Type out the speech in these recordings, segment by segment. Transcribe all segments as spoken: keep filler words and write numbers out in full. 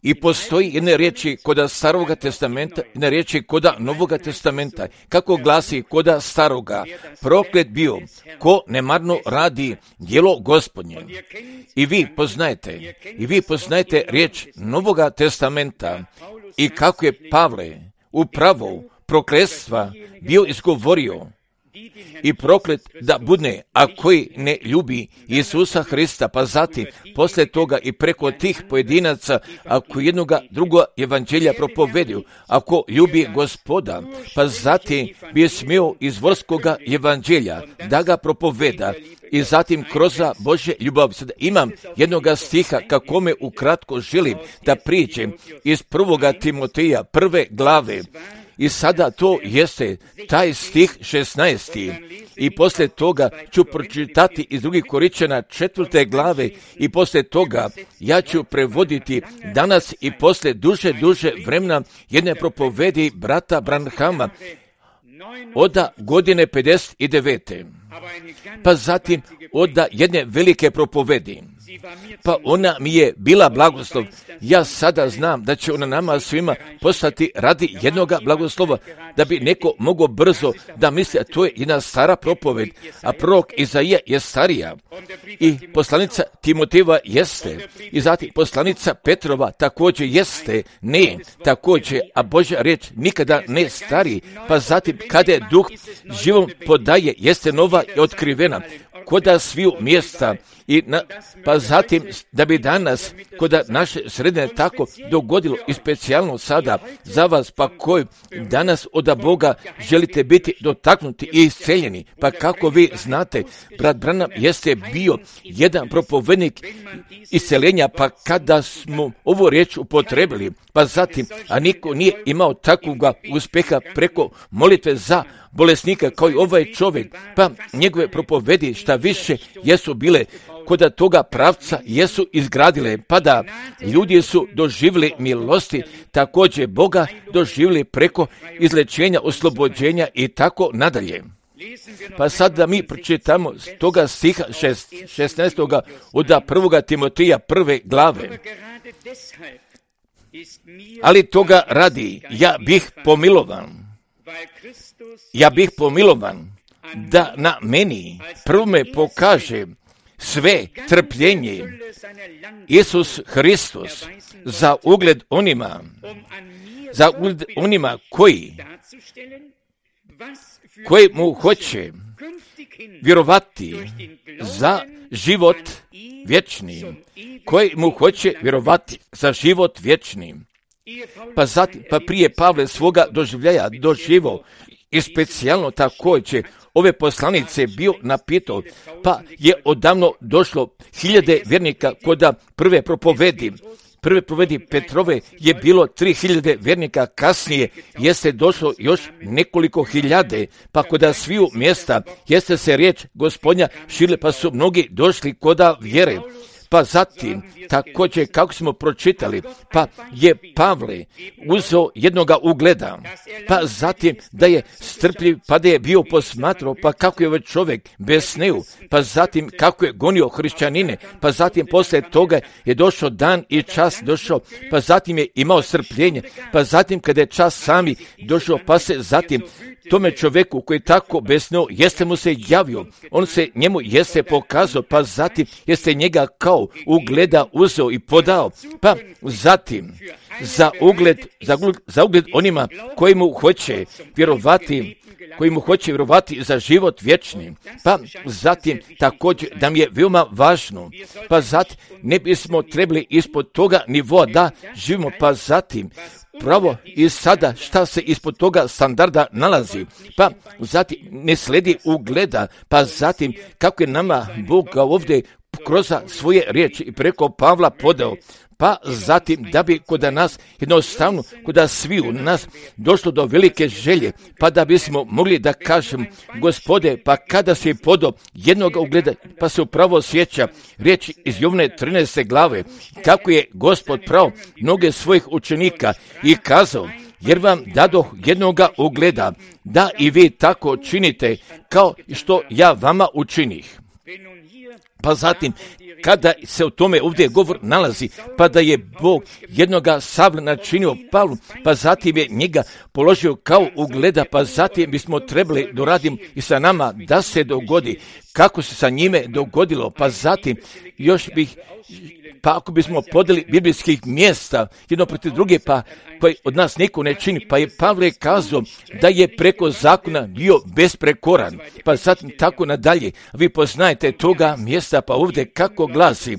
I postoji jedne riječi koda Staroga testamenta, jedne riječi koda Novoga testamenta. Kako glasi koda Staroga? Proklet bio ko nemarno radi djelo Gospodnje. I vi poznajete, i vi poznajete riječ Novoga testamenta i kako je Pavle upravo prokletstva bio izgovorio i proklet da budne, a koji ne ljubi Isusa Hrista, pa zatim poslije toga i preko tih pojedinaca, ako jednoga druga evanđelja propovedio, ako ljubi Gospoda, pa zatim bi smio iz vorskoga evanđelja da ga propoveda i zatim kroz Božje ljubav. Sada imam jednoga stiha kako me ukratko želim da priđem iz prvoga Timoteja, prve glave. I sada to jeste taj stih šesnaesti i poslije toga ću pročitati iz drugih Koričana četvrte glave i poslije toga ja ću prevoditi danas i poslije duže, duže vremena jedne propovedi brata Branhama oda godine pedeset devete. Pa zatim oda jedne velike propovedi. Pa ona mi je bila blagoslov. Ja sada znam da će ona nama svima postati radi jednoga blagoslova, da bi neko mogao brzo da misli, a to je jedna stara propoved, a prorok Izaija je starija. I poslanica Timotejeva jeste, i zatim poslanica Petrova također jeste, ne, također, a Božja riječ nikada ne stari, pa zatim kada je duh živom podaje, jeste nova i otkrivena, koda sviju mjesta i na, pa zatim da bi danas koda naše sredine tako dogodilo i specijalno sada za vas, pa koji danas od Boga želite biti dotaknuti i isceljeni, pa kako vi znate, brat Branham jeste bio jedan propovednik isceljenja, pa kada smo ovu riječ upotrebili, pa zatim, a niko nije imao takvoga uspjeha preko molitve za bolesnika kao i ovaj čovjek, pa njegove propovedi šta više jesu bile koda toga pravca jesu izgradile, pa da ljudi su doživjeli milosti, također Boga doživjeli preko izlečenja, oslobođenja i tako nadalje. Pa sad da mi pročitamo toga stiha šesnaestoga od prvoga Timoteja prve glave. Ali toga radi, ja bih pomilovan, ja bih pomilovan da na meni prvome pokaže sve trpljenje Isus Hristos za ugled onima, za ugled onima koji, koji mu hoće vjerovati za život vječni, koji mu hoće vjerovati za život vječni. Pa zatim, pa prije Pavle svoga doživljaja doživo i specijalno također ove poslanice bio napitao, pa je odavno došlo hiljade vjernika koda prve propovedi. Prve propovedi Petrove je bilo tri hiljade vjernika, kasnije jeste došlo još nekoliko hiljade, pa koda sviju mjesta jeste se riječ Gospodnja širila, pa su mnogi došli koda vjere. Pa zatim, također kako smo pročitali, pa je Pavle uzeo jednoga ugleda, pa zatim da je strpljiv, pa da je bio posmatrao, pa kako je ovaj čovjek besneo, pa zatim kako je gonio hrišćanine, pa zatim poslije toga je došao dan i čas došao, pa zatim je imao strpljenje, pa zatim kada je čas sami došao, pa se zatim tome čovjeku koji tako besneo jeste mu se javio, on se njemu jeste pokazao, pa zatim jeste njega kao ugleda uzeo i podao, pa zatim za ugled, za ugled, za ugled onima koji mu hoće vjerovati, koji mu hoće vjerovati za život vječni, pa zatim također da mi je veoma važno, pa zatim ne bismo trebali ispod toga nivoa da živimo, pa zatim pravo i sada šta se ispod toga standarda nalazi, pa zatim ne sledi ugleda, pa zatim kako je nama Bog ovdje kroz svoje riječi i preko Pavla podao, pa zatim da bi kod nas jednostavno, kod svi u nas došlo do velike želje, pa da bismo mogli da kažem, Gospode, pa kada si podao jednog ugleda, pa se upravo sjeća riječ iz Jovne trinaeste glave, kako je Gospod pravo mnoge svojih učenika i kazao, jer vam dadoh jednoga ugleda, da i vi tako činite, kao što ja vama učinih. Pa zatim, kada se o tome ovdje govor nalazi, pa da je Bog jednoga Savla načinio Pavlu, pa zatim je njega položio kao ugleda, pa zatim bismo trebali doraditi i sa nama da se dogodi kako se sa njime dogodilo, pa zatim još bih, pa ako bismo podeli biblijskih mjesta jedno protiv druge, pa koji od nas niko ne čini, pa je Pavle kazao da je preko zakona bio besprekoran, pa zatim tako nadalje. Vi poznajete toga mjesta, pa ovdje kako glasi,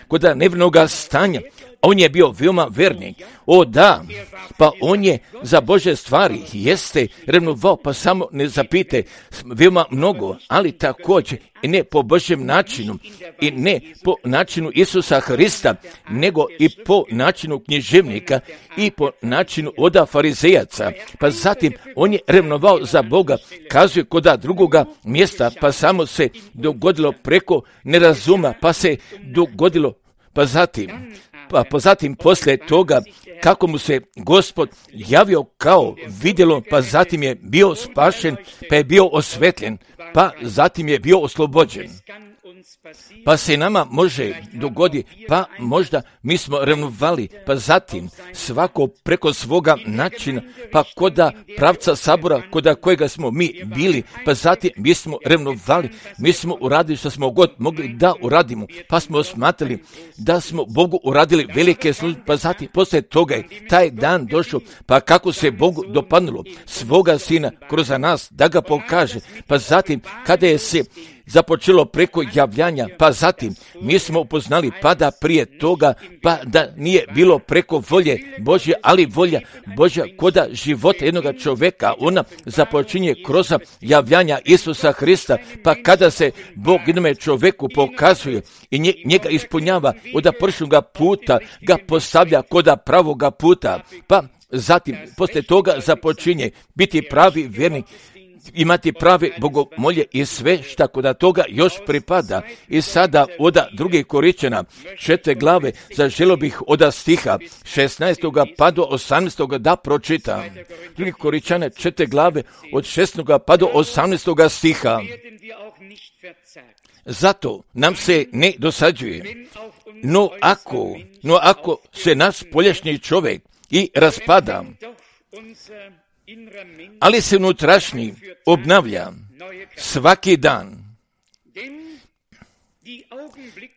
kod nevinoga stanja, on je bio veoma vernik. O da, pa on je za Bože stvari jeste revnovao, pa samo ne zapite veoma mnogo, ali također i ne po Božjem načinu i ne po načinu Isusa Hrista, nego i po načinu književnika i po načinu oda farizejaca. Pa zatim on je revnovao za Boga, kazuje koda drugoga mjesta, pa samo se dogodilo preko nerazuma, pa se dogodilo, pa zatim Pa, pa zatim poslije toga kako mu se Gospod javio kao vidjelo, pa zatim je bio spašen, pa je bio osvetljen, pa zatim je bio oslobođen. Pa se nama može dogoditi, pa možda mi smo revnovali, pa zatim svako preko svoga načina, pa koda pravca sabora, koda kojega smo mi bili, pa zatim mi smo revnovali, mi smo uradili što smo god mogli da uradimo, pa smo smatrali da smo Bogu uradili velike službe, pa zatim poslije toga je taj dan došao, pa kako se Bogu dopadnulo svoga sina kroz nas da ga pokaže, pa zatim kada je se započelo preko javljanja, pa zatim mi smo upoznali pa da prije toga, pa da nije bilo preko volje Božje, ali volja Božja koda života jednoga čovjeka, ona započinje kroz javljanja Isusa Hrista, pa kada se Bog jednome čovjeku pokazuje i njega ispunjava od pršnoga puta, ga postavlja koda pravoga puta, pa zatim poslije toga započinje biti pravi vjernik, imati prave bogomolje i sve šta kod toga još pripada. I sada oda druge Koričana, četiri glave, zaželio bih oda stiha šesnaestog pa do osamnaestog da pročitam. Drugi Koričane, četiri glave, od šesnaestog pa do osamnaestog stiha. Zato nam se ne dosađuje. No ako, no ako se naš poljašnji čovjek i raspada, ali se unutrašnji obnavlja svaki dan,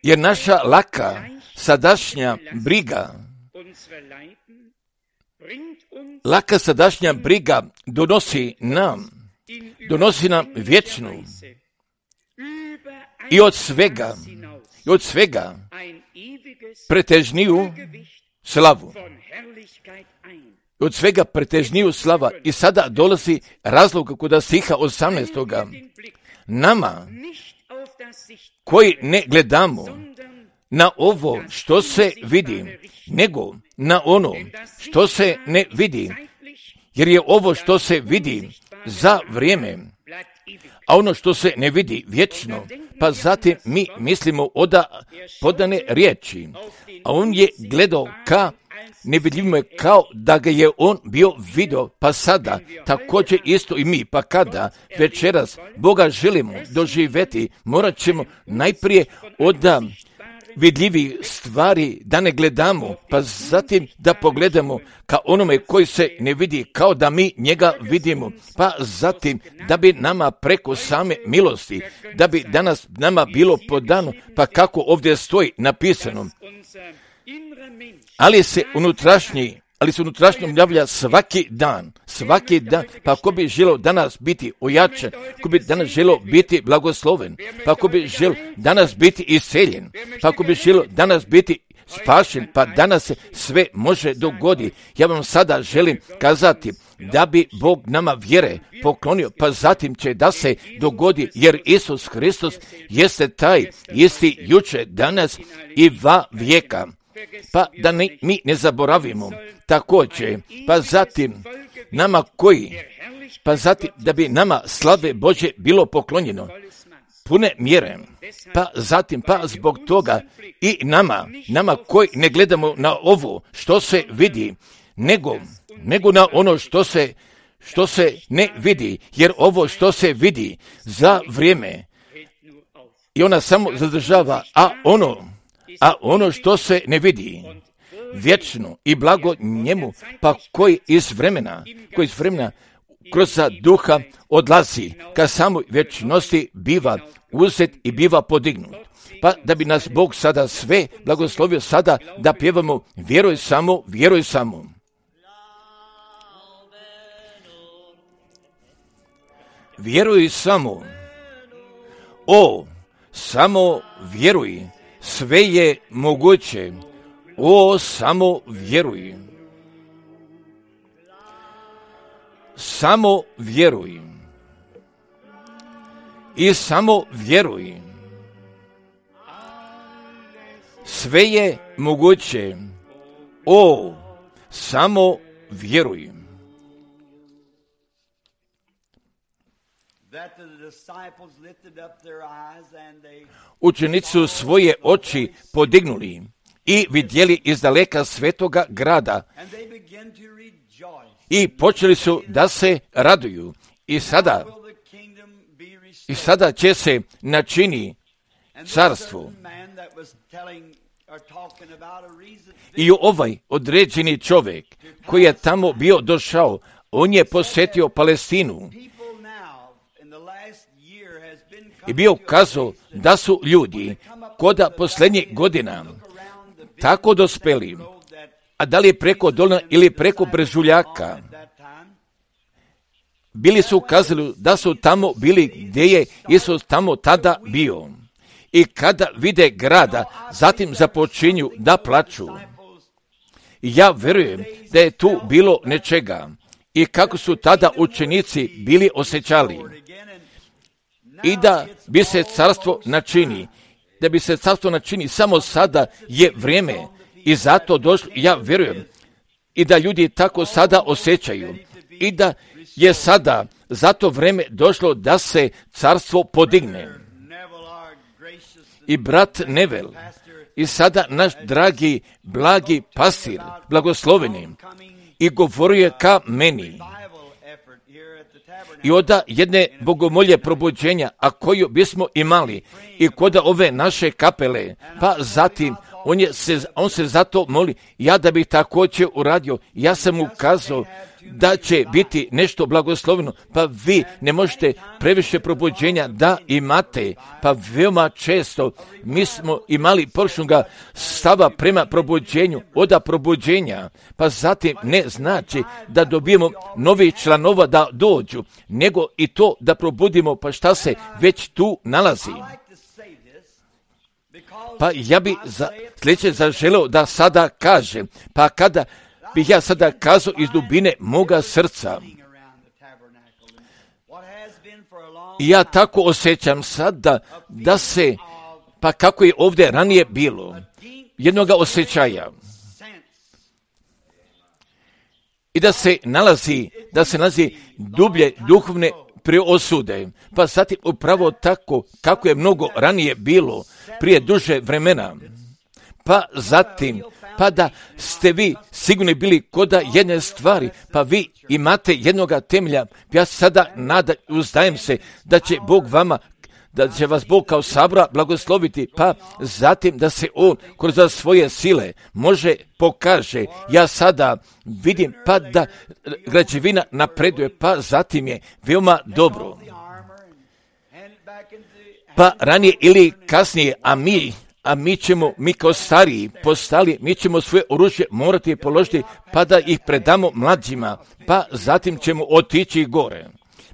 jer naša laka sadašnja briga, laka sadašnja briga donosi nam, donosi nam vječnu i od svega, i od svega pretežniju slavu. Od svega pretežniju slava. I sada dolazi razlog kod stiha osamnaestog. Nama, koji ne gledamo na ovo što se vidi, nego na ono što se ne vidi, jer je ovo što se vidi za vrijeme, a ono što se ne vidi vječno, pa zatim mi mislimo oda podane riječi, a on je gledao ka nevidljivo je kao da ga je on bio vidio, pa sada također isto i mi, pa kada večeras Boga želimo doživjeti, morat ćemo najprije od vidljivih stvari da ne gledamo, pa zatim da pogledamo ka onome koji se ne vidi, kao da mi njega vidimo, pa zatim da bi nama preko same milosti, da bi danas nama bilo podano, pa kako ovdje stoji napisano, ali se unutrašnji, ali se unutrašnjom javlja svaki dan, svaki dan, pa ako bi želio danas biti ojačan, ako bi danas želio biti blagosloven, pa ako bi želio danas biti isceljen, pa ako bi želio danas biti spašen, pa danas se sve može dogoditi. Ja vam sada želim kazati da bi Bog nama vjere poklonio, pa zatim će da se dogodi, jer Isus Hristos jeste taj isti jučer, danas i va vijeka. Pa da ne, mi ne zaboravimo također, pa zatim nama koji, pa zatim da bi nama slave Božje bilo poklonjeno pune mjere, pa zatim pa zbog toga i nama, nama koji ne gledamo na ovo što se vidi, nego, nego na ono što se, što se ne vidi, jer ovo što se vidi za vrijeme I ona samo zadržava, a ono, a ono što se ne vidi, vječno i blago njemu, pa koji iz vremena, koji iz vremena kroz duha odlazi, ka samoj vječnosti biva uzet i biva podignut. Pa da bi nas Bog sada sve blagoslovio sada da pjevamo vjeruj samo, vjeruj samo. Vjeruj samo. O, samo vjeruj. Sve je moguće. O, samo vjeruj. Samo vjeruj. I samo vjeruj. Sve je moguće. O, samo vjeruj. Učenici su svoje oči podignuli i vidjeli izdaleka svetoga grada i počeli su da se raduju. I sada, i sada će se načini carstvo. I ovaj određeni čovjek koji je tamo bio došao, on je posjetio Palestinu i bio kazao da su ljudi koda posljednjih godina tako dospeli, a da li je preko Dolina ili preko Brežuljaka, bili su kazali da su tamo bili gdje je Isus tamo tada bio. I kada vide grada, zatim započinju da plaču. Ja vjerujem da je tu bilo nečega i kako su tada učenici bili osjećali. I da bi se carstvo načini, da bi se carstvo načini, samo sada je vrijeme i zato došlo, ja vjerujem, i da ljudi tako sada osjećaju i da je sada zato vrijeme došlo da se carstvo podigne. I brat Nevel, i sada naš dragi, blagi pastir, blagosloveni, i govorio je ka meni. I oda jedne bogomolje probuđenja, a koju bismo imali i koda ove naše kapele, pa zatim on, je se, on se zato moli, ja da bih također uradio, ja sam mu kazao da će biti nešto blagosloveno, pa vi ne možete previše probuđenja da imate, pa veoma često mi smo imali površnoga stava prema probuđenju, oda probuđenja, pa zatim ne znači da dobijemo novi članova da dođu, nego i to da probudimo, pa šta se već tu nalazi. Pa ja bi za, sljedeće zaželeo da sada kažem, pa kada bih ja sada kazao iz dubine moga srca, i ja tako osjećam sada da se, pa kako je ovdje ranije bilo, jednoga osjećaja, i da se nalazi, da se nalazi dublje duhovne preosude, pa zatim upravo tako kako je mnogo ranije bilo, prije duže vremena, pa zatim, pa da ste vi sigurni bili koda jedne stvari, pa vi imate jednoga temelja, ja sada nada, uzdajem se da će Bog vama, da će vas Bog kao sabora blagosloviti, pa zatim da se On kroz svoje sile može pokaže. Ja sada vidim pa da građevina napreduje, pa zatim je veoma dobro. Pa ranije ili kasnije, a mi a mi ćemo, mi kao stariji postali, mi ćemo svoje oružje morati položiti pa da ih predamo mlađima, pa zatim ćemo otići gore.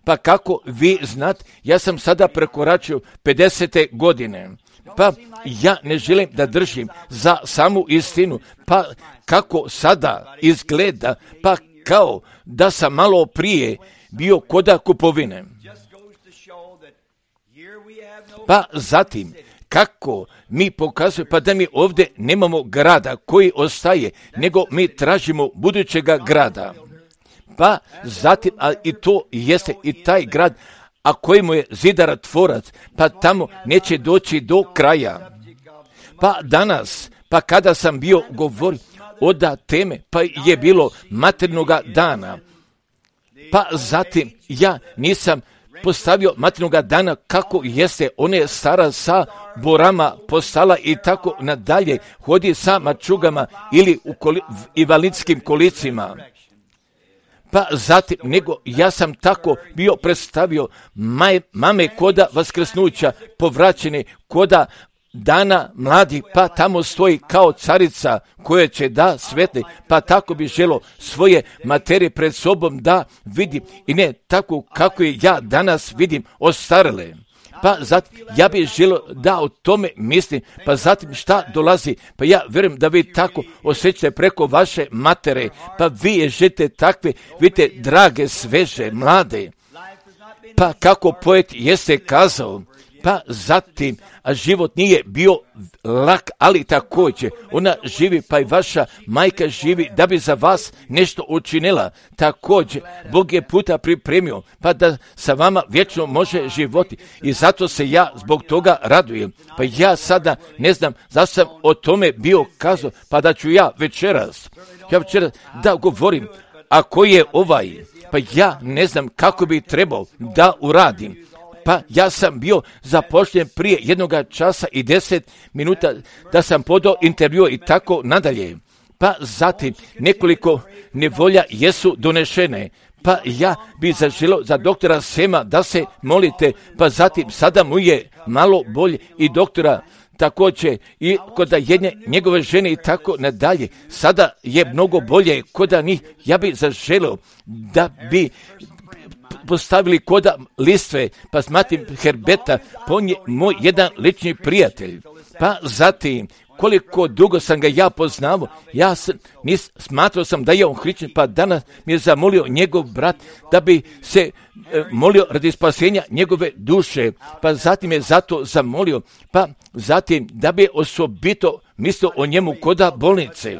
Pa kako vi znate, ja sam sada prekoračio pedesete godine, pa ja ne želim da držim za samu istinu, pa kako sada izgleda, pa kao da sam malo prije bio koda kupovine. Pa zatim, kako mi pokazujemo, pa da mi ovdje nemamo grada koji ostaje, nego mi tražimo budućega grada. Pa zatim, a i to jeste i taj grad, a kojemu je zidar tvorac, pa tamo neće doći do kraja. Pa danas, pa kada sam bio govorio oda teme, pa je bilo maternoga dana, pa zatim ja nisam postavio materinoga dana kako jeste, ona je stara sa borama postala i tako nadalje, hodi sa mačugama ili u koli, invalidskim kolicima. Pa zatim, nego ja sam tako bio predstavio maj, mame koda vaskrsnuća, povraćene koda dana mladih, pa tamo stoji kao carica koja će da svetle, pa tako bi želo svoje materije pred sobom da vidim i ne tako kako je ja danas vidim ostarele. Pa zatim, ja bih želio da o tome mislim, pa zatim šta dolazi, pa ja vjerujem da vi tako osjećate preko vaše matere, pa vi je žete takve, vidite, drage, sveže, mlade, pa kako poet jeste kazao, pa zatim, a život nije bio lak, ali također, ona živi, pa i vaša majka živi da bi za vas nešto učinila. Također, Bog je puta pripremio, pa da sa vama vječno može životi. I zato se ja zbog toga radujem. Pa ja sada ne znam zašto sam o tome bio kazao, pa da ću ja večeras, ja večeras da govorim, a koji je ovaj, pa ja ne znam kako bi trebao da uradim. Pa ja sam bio zapošljen prije jednoga časa i deset minuta da sam podao intervju i tako nadalje. Pa zatim nekoliko nevolja jesu donešene. Pa ja bi zaželio za doktora Sema da se molite, pa zatim sada mu je malo bolje i doktora također i kod jedne njegove žene i tako nadalje. Sada je mnogo bolje kod njih. Ja bi zaželio da bi postavili koda listve, pa smatim Herbeta, on je moj jedan lični prijatelj. Pa zatim, koliko dugo sam ga ja poznao, ja sam, nis, smatrao sam da je on hrišćan, pa danas mi je zamolio njegov brat da bi se e, molio radi spasenja njegove duše, pa zatim je zato zamolio, pa zatim da bi osobito mislio o njemu koda bolnice.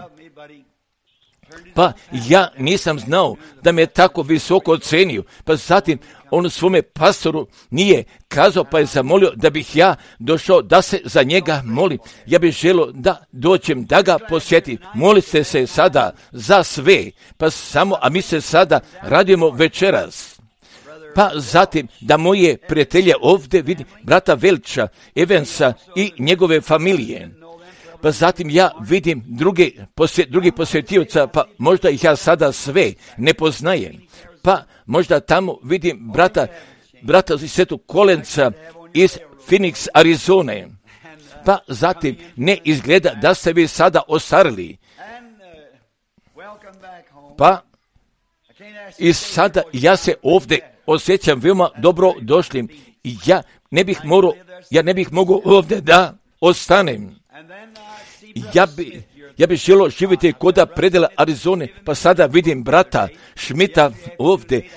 Pa ja nisam znao da me tako visoko ocenio, pa zatim on svome pastoru nije kazao, pa je zamolio da bih ja došao da se za njega molim. Ja bih želio da dođem da ga posjetim. Molite se sada za sve, pa samo, a mi se sada radimo večeras. Pa zatim da moje prijatelje ovdje vidim, brata Velča, Evansa i njegove familije. Pa zatim ja vidim druge, posjet, drugi posjetioca, pa možda ih ja sada sve ne poznajem. Pa možda tamo vidim brata, brata iz Svetog Kolenca iz Phoenix, Arizone. Pa zatim ne izgleda da ste vi sada ostarili. Pa i sada ja se ovdje osjećam veoma dobro došlim i ja ne bih morao, ja ne bih mogao ovdje da ostanem. Ja bi, ja bi želio živjeti koda predela Arizone, pa sada vidim brata Šmita ovdje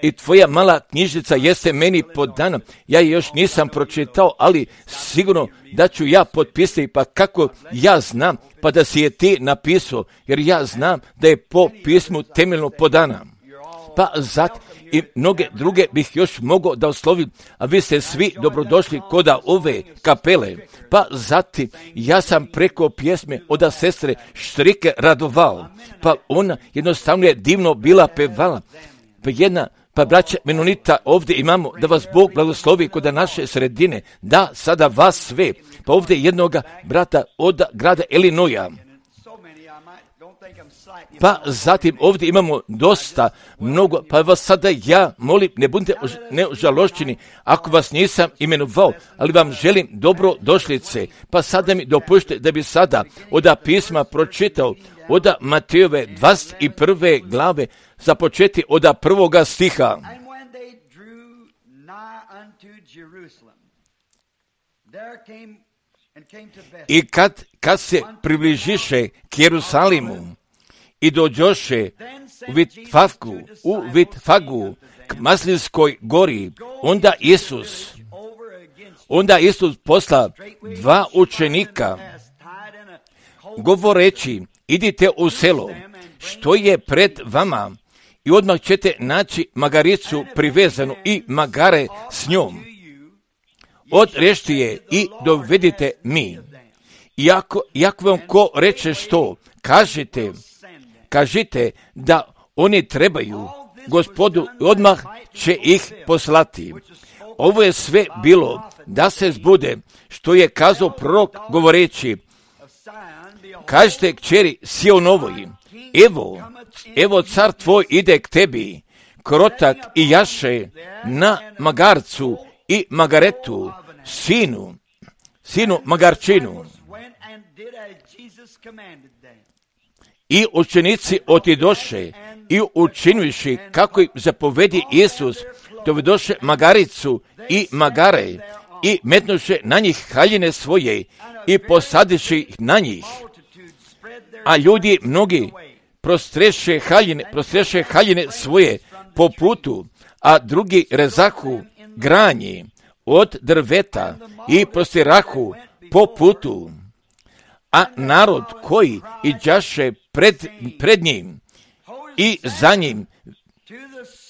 i tvoja mala knjižica jeste meni podana. Ja je još nisam pročitao, ali sigurno da ću ja potpisati, pa kako ja znam, pa da si je ti napisao, jer ja znam da je po pismu temeljno podana. Pa zato i mnoge druge bih još mogao da oslovim, a vi ste svi dobrodošli koda ove kapele. Pa zatim ja sam preko pjesme od sestre Štrike radovao, pa ona jednostavno je divno bila pevala. Pa jedna, pa braća Menonita ovdje imamo, da vas Bog blagoslovi kod naše sredine, da sada vas sve, pa ovdje jednoga brata od grada Illinoisa. Pa zatim ovdje imamo dosta, mnogo, pa vas sada ja molim, ne budite neožalošćeni ako vas nisam imenovao, ali vam želim dobro došlice. Pa sada mi dopušte da bi sada od pisma pročitao od Matejove dvadeset prve glave, započeti od prvoga stiha. I kad, kad se približiše k Jerusalimu i dođoše u Vitfagu, u Vitfagu k Maslinskoj gori, onda Isus, onda Isus posla dva učenika, govoreći, idite u selo, što je pred vama, i odmah ćete naći magaricu privezanu i magare s njom. Odrešti je i dovedite mi. Iako, iako vam ko reče što, kažite, kažite da oni trebaju Gospodu, odmah će ih poslati. Ovo je sve bilo da se zbude, što je kazao prorok govoreći, kažete kćeri Sionovoj, evo, evo car tvoj ide k tebi, krotak i jaše na magarcu i magaretu, sinu, sinu magarčinu. I učenici otidoše i učiniši kako im zapovedi Isus, dovedoše magaricu i magare i metnuše na njih haljine svoje i posadiše ih na njih. A ljudi mnogi prostreše haljine, prostreše haljine svoje po putu, a drugi rezahu granje od drveta i prostirahu po putu. A narod koji iđaše pred, pred njim i za njim,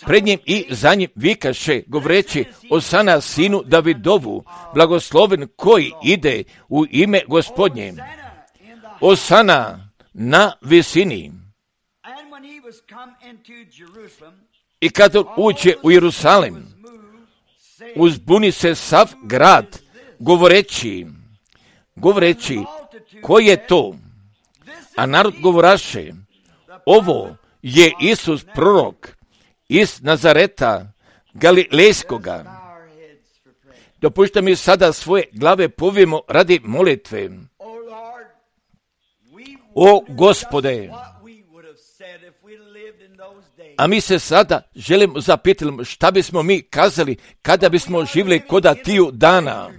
pred njim i za njim vikaše, govoreći, Osana sinu Davidovu, blagosloven koji ide u ime Gospodnje. Osana na visini. I kad uđe u Jerusalem, uzbuni se sav grad, govoreći, govoreći, ko je to? A narod govoraše, ovo je Isus prorok iz Nazareta Galilejskoga. Dopušta mi sada svoje glave povijemo radi molitve. O Gospode, a mi se sada želimo zapitati šta bismo mi kazali kada bismo živjeli koda tiju dana.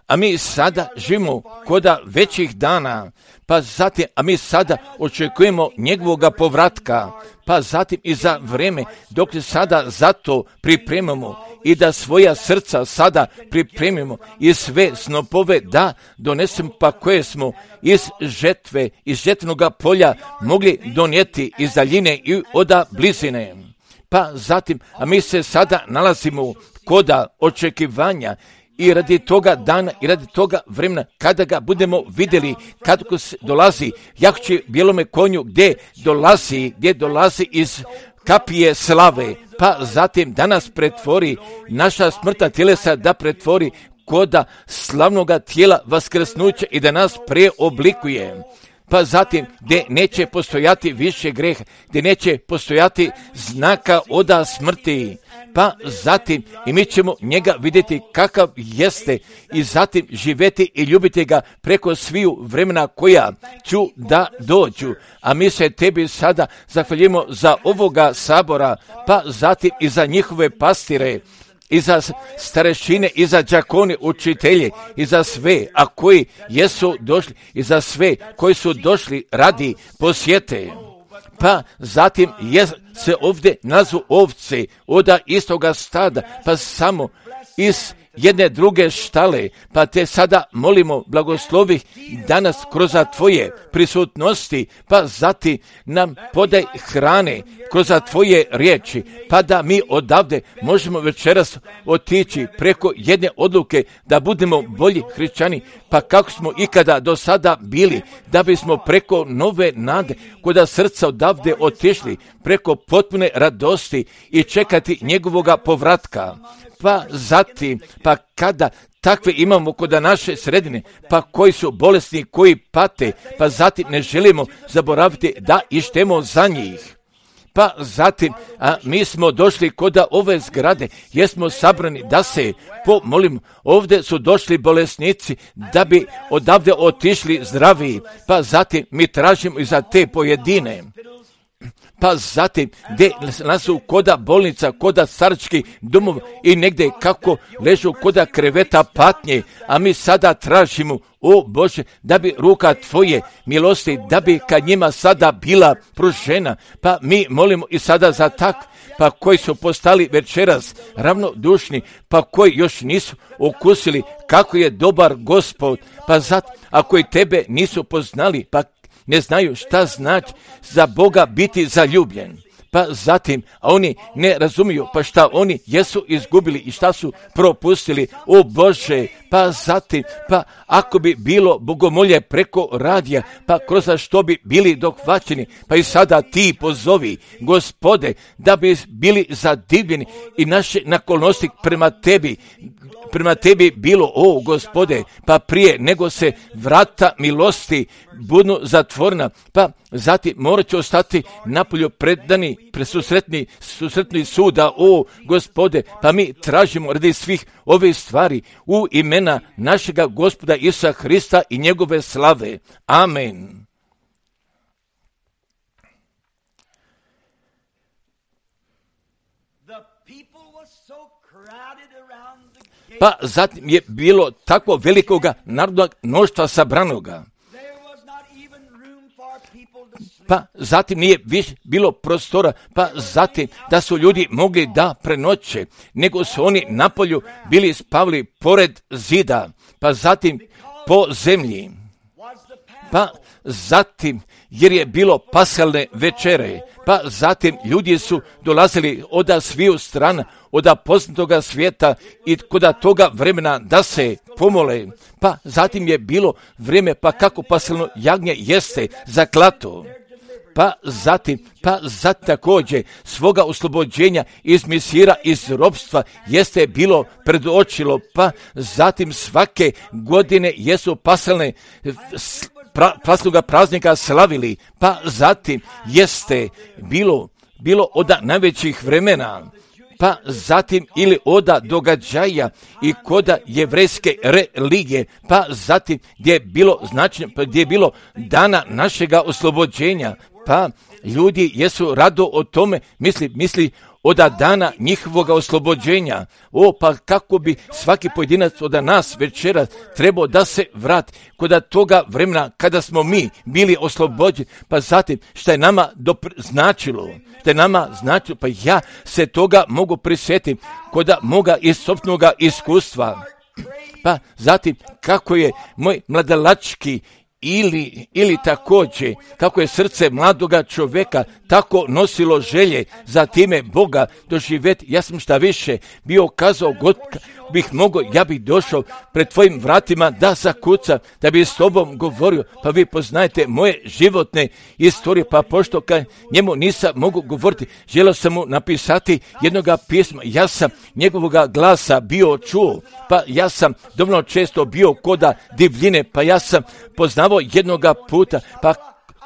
A mi sada živimo koda većih dana, pa zatim, a mi sada očekujemo njegovoga povratka, pa zatim i za vrijeme dok se sada za to pripremamo i da svoja srca sada pripremimo i sve snopove da donesemo, pa koje smo iz žetve, iz žetvenoga polja mogli donijeti iz daljine i oda blizine. Pa zatim, a mi se sada nalazimo koda očekivanja i radi toga dana i radi toga vremena kada ga budemo vidjeli, kad dolazi jahće bijelome konju gdje dolazi, gdje dolazi iz kapije slave, pa zatim da nas pretvori, naša smrtna tjelesa da pretvori koda slavnoga tijela vaskrsnuća i da nas preoblikuje. Pa zatim gdje neće postojati više greha, gdje neće postojati znaka oda smrti, pa zatim i mi ćemo njega vidjeti kakav jeste i zatim živjeti i ljubiti ga preko sviju vremena koja ću da dođu. A mi se tebi sada zahvaljujemo za ovoga sabora, pa zatim i za njihove pastire, i za starešine, i za đakone, učitelje, i za sve, a koji jesu došli, i za sve koji su došli radi posjete. Pa zatim je se ovdje nazvu ovce oda istoga stada, pa samo iz jedne druge štale, pa te sada molimo blagoslovi danas kroz tvoje prisutnosti, pa zatim nam podaj hrane kroz tvoje riječi, pa da mi odavde možemo večeras otići preko jedne odluke da budemo bolji hrišćani, pa kako smo ikada do sada bili, da bismo preko nove nade koda srca odavde otišli, preko potpune radosti i čekati njegovoga povratka. Pa zatim, pa kada takve imamo kod naše sredine, pa koji su bolesni, koji pate, pa zatim ne želimo zaboraviti da ištemo za njih. Pa zatim, a mi smo došli kod ove zgrade, jesmo sabrani da se pomolimo. Ovdje su došli bolesnici da bi odavde otišli zdravi, pa zatim mi tražimo i za te pojedine. Pa zatim, gdje nasu koda bolnica, koda staračkih domova i negdje kako ležu koda kreveta patnje, a mi sada tražimo, o Bože, da bi ruka tvoje milosti, da bi kad njima sada bila pružena, pa mi molimo i sada za tak, pa koji su postali večeras ravnodušni, pa koji još nisu okusili kako je dobar Gospod, pa zato, a koji tebe nisu poznali, pa ne znaju šta znači za Boga biti zaljubljen. pa zatim, a oni ne razumiju, pa šta oni jesu izgubili i šta su propustili, o Bože, pa zatim, pa ako bi bilo bogomolje preko radija, pa kroz što bi bili dohvaćeni, pa i sada ti pozovi, Gospode, da bi bili zadivljeni i naše naklonosti prema tebi, prema tebi bilo, o Gospode, pa prije nego se vrata milosti budu zatvorena, pa zatim morat će ostati napolju predani, presusretni, susretni suda, o Gospode, pa mi tražimo radi svih ove stvari u imena našega Gospoda Isusa Hrista i njegove slave. Amen. Pa zatim je bilo tako velikoga narodnog mnoštva sabranoga. Pa zatim nije više bilo prostora, pa zatim da su ljudi mogli da prenoće, nego su oni napolju bili spavili pored zida, pa zatim po zemlji. Pa zatim, jer je bilo paschalne večere, pa zatim ljudi su dolazili od sviju strana, od poznatoga svijeta i kod toga vremena da se pomole. Pa zatim je bilo vrijeme, pa kako paschalno jagnje jeste zaklato. Pa zatim, pa zatim također svoga oslobođenja iz misira, iz ropstva jeste bilo predočilo, pa zatim svake godine jesu paschalne pra, paschalnoga praznika slavili, pa zatim jeste bilo, bilo od najvećih vremena, pa zatim ili oda događaja i koda jevrejske religije, pa zatim gdje je bilo značajno, pa gdje je bilo dana našega oslobođenja, pa ljudi jesu rado o tome misli, misli od dana njihovoga oslobođenja. O, pa kako bi svaki pojedinac od nas večera trebao da se vrati kod toga vremena kada smo mi bili oslobođeni, pa zatim šta je nama dopr- značilo, šta je nama značilo, pa ja se toga mogu prisjetiti kod moga iz sopstvenog iskustva. Pa zatim kako je moj mladalački Ili, ili također, kako je srce mladoga čovjeka tako nosilo želje za time Boga doživjeti. Ja sam šta više bio kazao, god bih mogao, ja bih došao pred tvojim vratima da zakucam, da bi s tobom govorio, pa vi poznajete moje životne istorije, pa pošto kad njemu nisam mogu govoriti, želio sam mu napisati jednoga pisma, ja sam njegovoga glasa bio čuo, pa ja sam dovoljno često bio koda divljine, pa ja sam poznavao jednoga puta, pa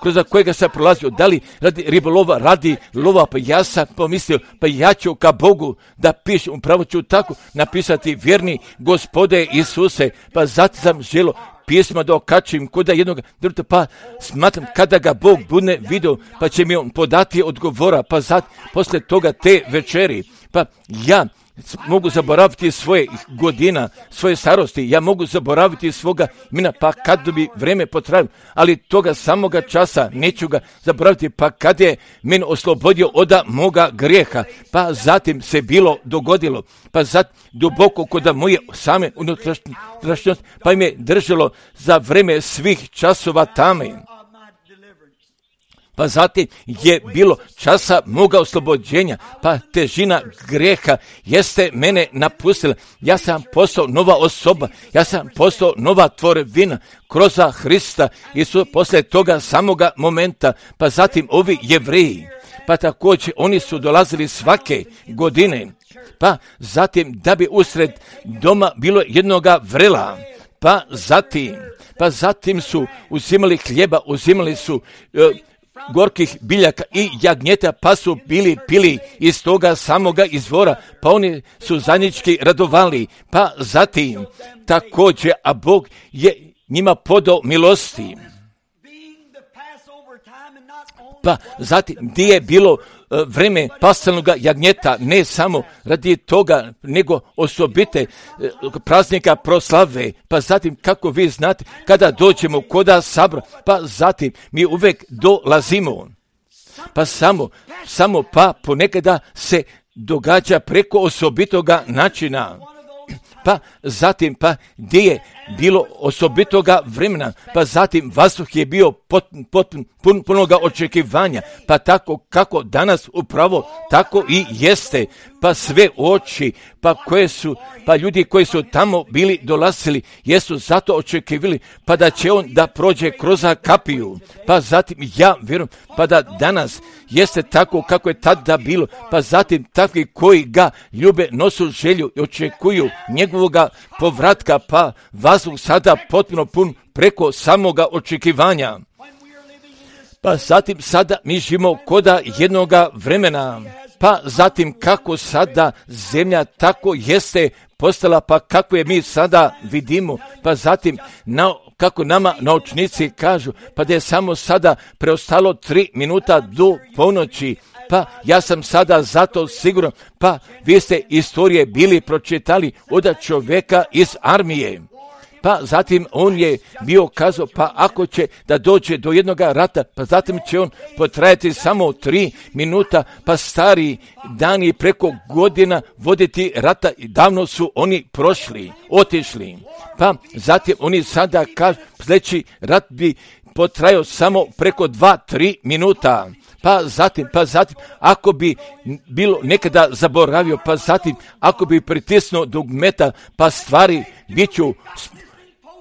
kroz kojega sam prolazio, da li radi ribolova, radi lova, pa ja sam pomislio, pa ja ću ka Bogu da pišem, upravo ću tako napisati vjerni Gospode Isuse, pa zato sam želio pisma da okačim kod jednog drta, pa smatram kada ga Bog bude vidio, pa će mi on podati odgovora, pa zato posle toga te večeri, pa ja mogu zaboraviti svoje godina, svoje starosti, ja mogu zaboraviti svoga imena, pa kad bi vreme potrajalo, ali toga samoga časa neću ga zaboraviti, pa kad je mene oslobodio od moga grijeha, pa zatim se bilo dogodilo, pa zatim duboko kod moje same unutrašnjosti, pa im je držalo za vreme svih časova tame. Pa zatim je bilo časa moga oslobođenja, pa težina grijeha jeste mene napustila. Ja sam postao nova osoba, ja sam postao nova tvorevina kroz Hrista i su poslije toga samoga momenta, pa zatim ovi Jevreji, pa također oni su dolazili svake godine, pa zatim da bi usred doma bilo jednoga vrela, pa zatim, pa zatim su uzimali hljeba, uzimali su uh, gorkih biljaka i jagnjeta, pa su bili pili iz toga samoga izvora, pa oni su zajednički radovali, pa zatim također, a Bog je njima podao milosti. Pa zatim gdje je bilo uh, vreme paschalnog jagnjeta, ne samo radi toga, nego osobite uh, praznika proslave, pa zatim kako vi znate, kada dođemo koda sabra, pa zatim mi uvek dolazimo, pa samo, samo pa ponekada se događa preko osobitoga načina. Pa zatim, pa gdje je bilo osobitoga vremena, pa zatim vazduh je bio pot, pot, pun, punoga očekivanja, pa tako kako danas upravo tako i jeste, pa sve oči, pa koje su, pa ljudi koji su tamo bili dolazili, jesu zato očekivali, pa da će on da prođe kroz kapiju, pa zatim ja vjerujem, pa da danas jeste tako kako je tada bilo, pa zatim takvi koji ga ljube, nosu želju i očekuju njegovoga povratka, pa vazduh sada potpuno pun preko samoga očekivanja. Pa zatim sada mi živimo koda jednoga vremena, pa zatim kako sada zemlja tako jeste postala, pa kako je mi sada vidimo, pa zatim na, kako nama naučnici kažu, pa da je samo sada preostalo tri minuta do ponoći, pa ja sam sada zato siguran, pa vi ste istorije bili pročitali od čovjeka iz armije. Pa zatim on je bio kazao, pa ako će da dođe do jednog rata, pa zatim će on potrajati samo tri minuta, pa stari dani preko godina voditi rata, davno su oni prošli, otišli. Pa zatim oni sada kažu, sljedeći rat bi potrajao samo preko dva, tri minuta. Pa zatim, pa zatim, ako bi bilo nekada zaboravio, pa zatim, ako bi pritisnuo dugmeta, pa stvari bit ću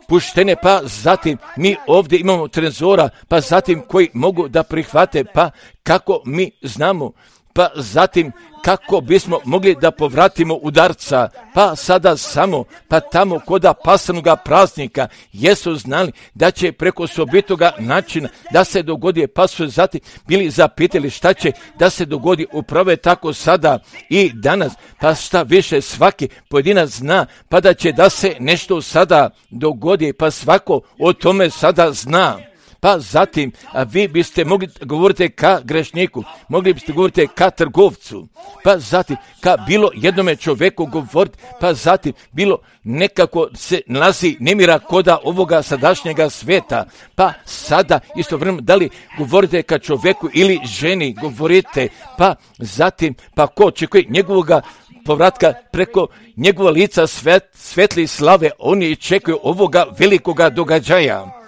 puštene, pa zatim mi ovdje imamo trezora, pa zatim koji mogu da prihvate, pa kako mi znamo, pa zatim kako bismo mogli da povratimo udarca, pa sada samo, pa tamo koda pasanoga praznika, jesu znali da će preko sobitoga načina da se dogodi, pa su zatim bili zapitali šta će da se dogodi, upravo je tako sada i danas, pa šta više svaki pojedinac zna, pa da će da se nešto sada dogodi, pa svako o tome sada zna. Pa zatim, a vi biste mogli govoriti ka grešniku, mogli biste govoriti ka trgovcu, pa zatim ka bilo jednome čovjeku govoriti, pa zatim bilo nekako se nalazi nemira koda ovoga sadašnjega sveta, pa sada istovremeno da li govorite ka čovjeku ili ženi govorite, pa zatim pa ko očekuje njegovoga povratka preko njegova lica svet, svetli slave, oni čekaju ovoga velikoga događaja.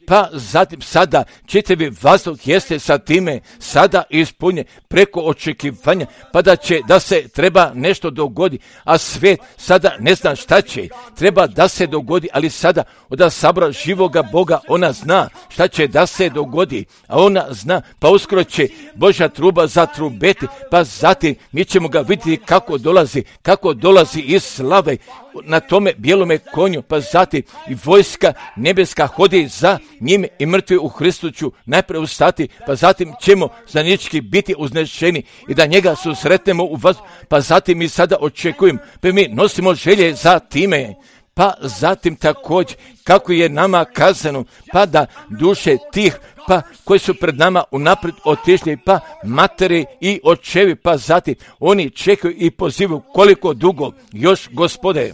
Pa zatim sada čitavi vazduh jeste sa time sada ispunjen preko očekivanja, pa da će da se treba nešto dogodi, a svijet sada ne zna šta će, treba da se dogodi, ali sada od sabora živoga Boga ona zna šta će da se dogodi, a ona zna, pa uskoro će Božja truba zatrubeti, pa zatim mi ćemo ga vidjeti kako dolazi, kako dolazi iz slave na tome bijelome konju, pa zatim i vojska nebeska hodi za njime i mrtvi u Hristu ću najprije ustati, pa zatim ćemo zajednički biti uznešeni i da njega susretnemo u vas, pa zatim mi sada očekujemo, pa mi nosimo želje za time, pa zatim također kako je nama kazano, pa da duše tih pa koji su pred nama unaprijed otišli, pa materi i očevi, pa zatim oni čekaju i pozivaju koliko dugo još, Gospode.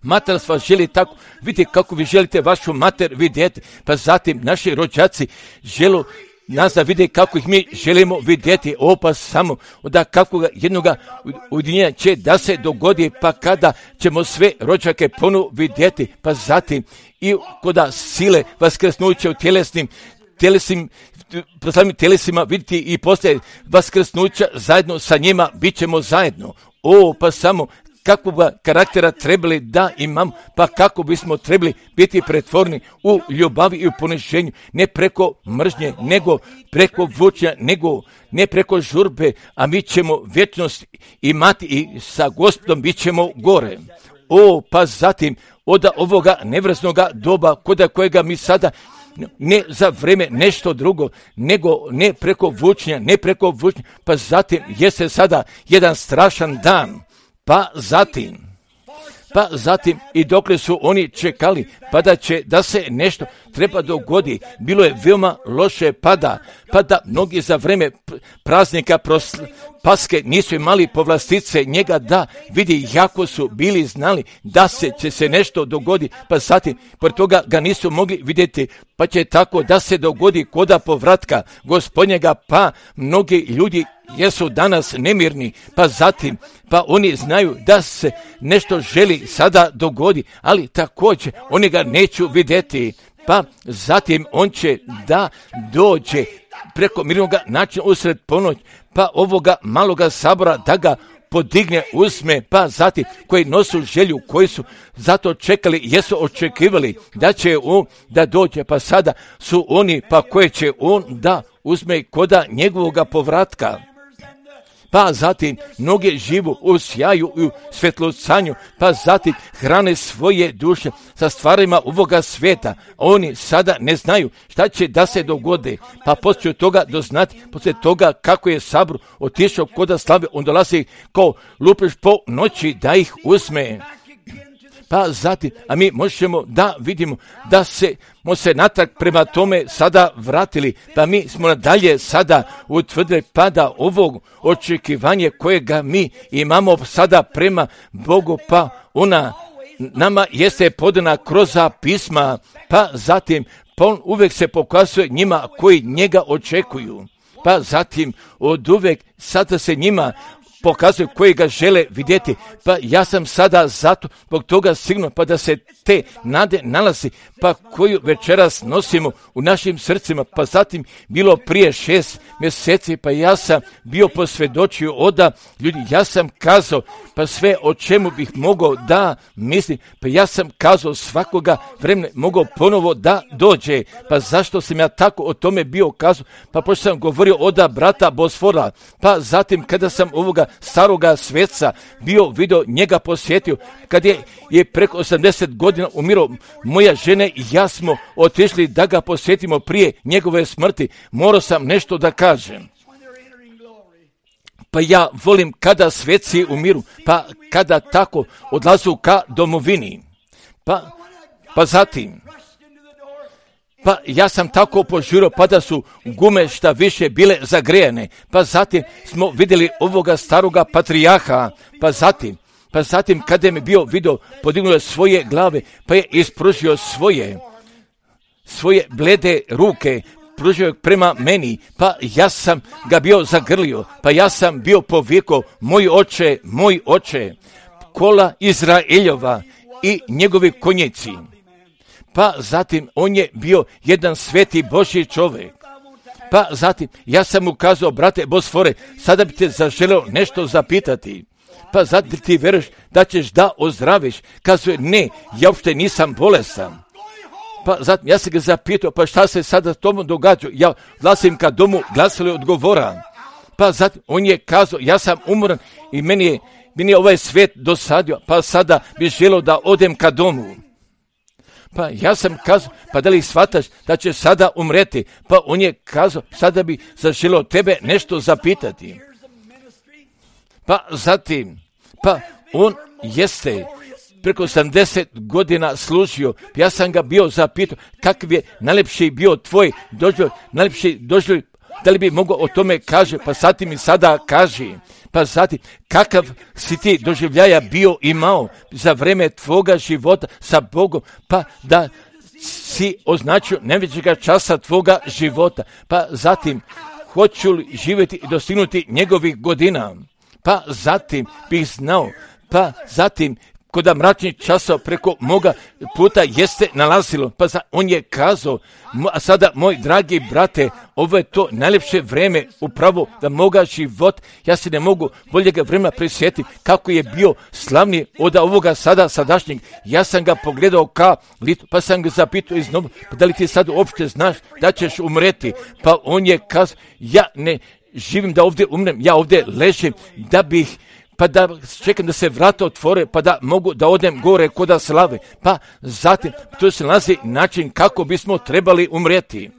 Mater vas želi tako, vidite kako vi želite vašu mater vidjeti, pa zatim naši rođaci žele nas da vide kako ih mi želimo vidjeti, o pa samo da kakvog jednoga ujedinjenja će da se dogodi, pa kada ćemo sve rođake ponovo vidjeti, pa zatim i koda sile vaskrsnuće u tjelesnim, tjelesnim proslavnim tjelesima vidjeti i poslije vaskrsnuća zajedno sa njima bit ćemo zajedno. O pa samo kakvog karaktera trebali da imamo, pa kako bismo trebali biti pretvorni u ljubavi i u poniženju, ne preko mržnje, nego preko vučnja, nego ne preko žurbe, a mi ćemo vječnost imati i sa Gospodom bit ćemo gore. O, pa zatim od ovoga nevrsnoga doba, koda kojega mi sada ne za vreme nešto drugo, nego ne preko vučnja, ne preko vučnja, pa zatim jeste sada jedan strašan dan. Pa zatim, pa zatim i dokle su oni čekali, pa da će da se nešto treba dogodi, bilo je veoma loše pada, pa da mnogi za vreme praznika prosl, Paske nisu imali povlastice njega da vidi jako su bili znali da se će se nešto dogodi, pa zatim pored toga ga nisu mogli vidjeti, pa će tako da se dogodi koda povratka Gospodnjega, pa mnogi ljudi jesu danas nemirni, pa zatim, pa oni znaju da se nešto želi sada dogodi, ali također oni ga neću vidjeti, pa zatim on će da dođe preko mirnog načina usred ponoć, pa ovoga maloga sabora da ga podigne, uzme, pa zatim koji nosu želju, koji su zato čekali, jesu očekivali da će on da dođe, pa sada su oni, pa koje će on da uzme koda njegovoga povratka. Pa zatim mnoge živu u sjaju i u svetlocanju, pa zatim hrane svoje duše sa stvarima ovoga svijeta. Oni sada ne znaju šta će da se dogode, pa poslije toga doznati, poslije toga kako je sabor otišao koda slave, on dolazi kao lupež po noći da ih uzme. Pa zatim, a mi možemo da vidimo da se, mo se natrag prema tome sada vratili, pa mi smo nadalje sada utvrdili pa da ovog očekivanje kojega mi imamo sada prema Bogu, pa ona nama jeste podana kroz pisma, pa zatim pa on uvijek se pokazuje njima koji njega očekuju, pa zatim od uvijek sada se njima pokazuju koji ga žele vidjeti, pa ja sam sada zato zbog toga sigurno, pa da se te nade nalazi, pa koju večeras nosimo u našim srcima, pa zatim bilo prije šest mjeseci, pa ja sam bio posvjedočio oda ljudi, ja sam kazao, pa sve o čemu bih mogao da mislim, pa ja sam kazao svakoga vremena mogao ponovo da dođe, pa zašto sam ja tako o tome bio kazao, pa pošto sam govorio oda brata Bosfora, pa zatim kada sam ovoga staroga sveca bio vidio, njega posjetio, kad je, je preko osamdeset godina umirao, moja žena i ja smo otišli da ga posjetimo prije njegove smrti, morao sam nešto da kažem. Pa ja volim kada sveci umiru, pa kada tako odlazu ka domovini, pa, pa zatim, pa ja sam tako požurio, pa da su gume šta više bile zagrejene, pa zatim smo vidjeli ovoga staroga patrijaha, pa zatim, pa zatim kada mi bio vidio, podignuo je svoje glave, pa je ispružio svoje, svoje blede ruke, pružio prema meni, pa ja sam ga bio zagrlio, pa ja sam bio povikao, moj oče, moj oče, kola Izraeljova i njegovi konjici. Pa zatim on je bio jedan sveti Božji čovjek. Pa zatim ja sam mu kazao, brate Bosfore, sada bi te zaželeo nešto zapitati. Pa zatim ti veruješ da ćeš da ozdraviš. Kazuje, ne, ja uopšte nisam bolestan. Pa zatim ja sam ga zapitao, pa šta se sada tomu događa? Ja glasim ka domu, glasili odgovora. Pa zatim on je kazao, ja sam umoran i meni je, meni je ovaj svijet dosadio, pa sada bi želeo da odem ka domu. Pa ja sam kazao, pa da li shvataš da će sada umreti? Pa on je kazao, sada bi zaželeo tebe nešto zapitati. Pa zatim, pa on jeste preko osamdeset godina služio, ja sam ga bio zapitao, kakav je najlepši bio tvoj doživljaj, najlepši doživljaj, da li bi mogao o tome kaže, pa sad ti mi sada kaži. Pa zatim, kakav si ti doživljaja bio imao za vreme tvoga života sa Bogom, pa da si označio najvećega časa tvoga života, pa zatim, hoću li živjeti i dostignuti njegovih godina, pa zatim bih znao, pa zatim, koda mračnih časova preko moga puta jeste nalazilo, pa za, on je kazao, a sada moj dragi brate, ovo je to najljepše vreme upravo da moga život, ja se ne mogu boljega vremena prisjetiti kako je bio slavni od ovoga sada sadašnjeg, ja sam ga pogledao ka litu, pa sam ga zapitao iznova, pa da li ti sad uopšte znaš da ćeš umreti, pa on je kazao, ja ne živim da ovdje umrem, ja ovdje ležim da bih pa da čekam da se vrata otvore, pa da mogu da odem gore koda slave. Pa zatim, tu se nalazi način kako bismo trebali umreti.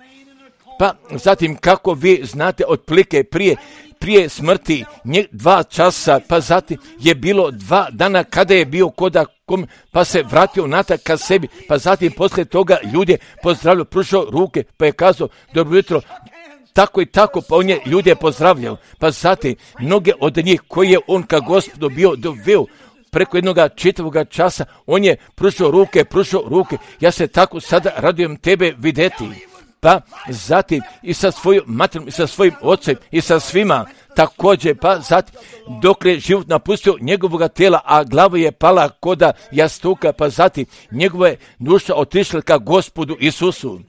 Pa zatim, kako vi znate, otprilike prije, prije smrti nje, dva časa, pa zatim je bilo dva dana kada je bio koda kom, pa se vratio natrag ka sebi, pa zatim poslije toga ljudi pozdravljaju, pružao ruke, pa je kazao, dobro jutro, tako i tako, pa on je ljude pozdravljao, pa zatim mnoge od njih koje je on ka Gospodu bio doveo preko jednoga čitavoga časa, on je pružao ruke, pružao ruke, ja se tako sada radujem tebe vidjeti, pa zatim i sa svojom materom, i sa svojim ocem, i sa svima, također, pa zatim dok je život napustio njegovoga tijela, a glava je pala koda jastuka, pa zatim njegova je duša otišla ka Gospodu Isusu.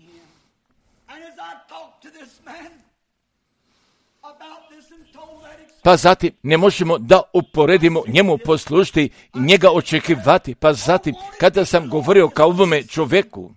Pa zatim ne možemo da uporedimo njemu poslušati i njega očekivati. Pa zatim kada sam govorio kao ovome čovjeku,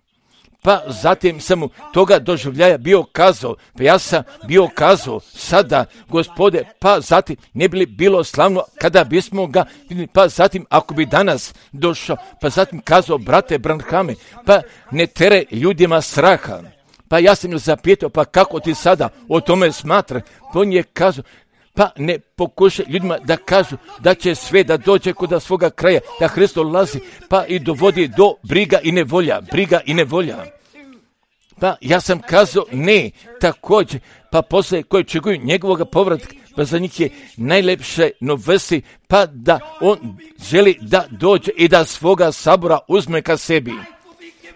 pa zatim sam mu toga doživljaja bio kazao, pa ja sam bio kazao sada, Gospode, pa zatim ne bi li bilo slavno kada bismo ga vidjeli, pa zatim ako bi danas došao, pa zatim kazao, brate Branhame, pa ne tere ljudima straha. Pa ja sam ju zapitao, pa kako ti sada o tome smatra? Pa on je kazao, pa ne pokušaj ljudima da kažu da će sve da dođe kod svoga kraja, da Hristo lazi, pa i dovodi do briga i nevolja, briga i nevolja. Pa ja sam kazao ne, također, pa poslije koji čekuju njegovog povratka, pa za njih je najlepše novesti, pa da on želi da dođe i da svoga sabora uzme ka sebi.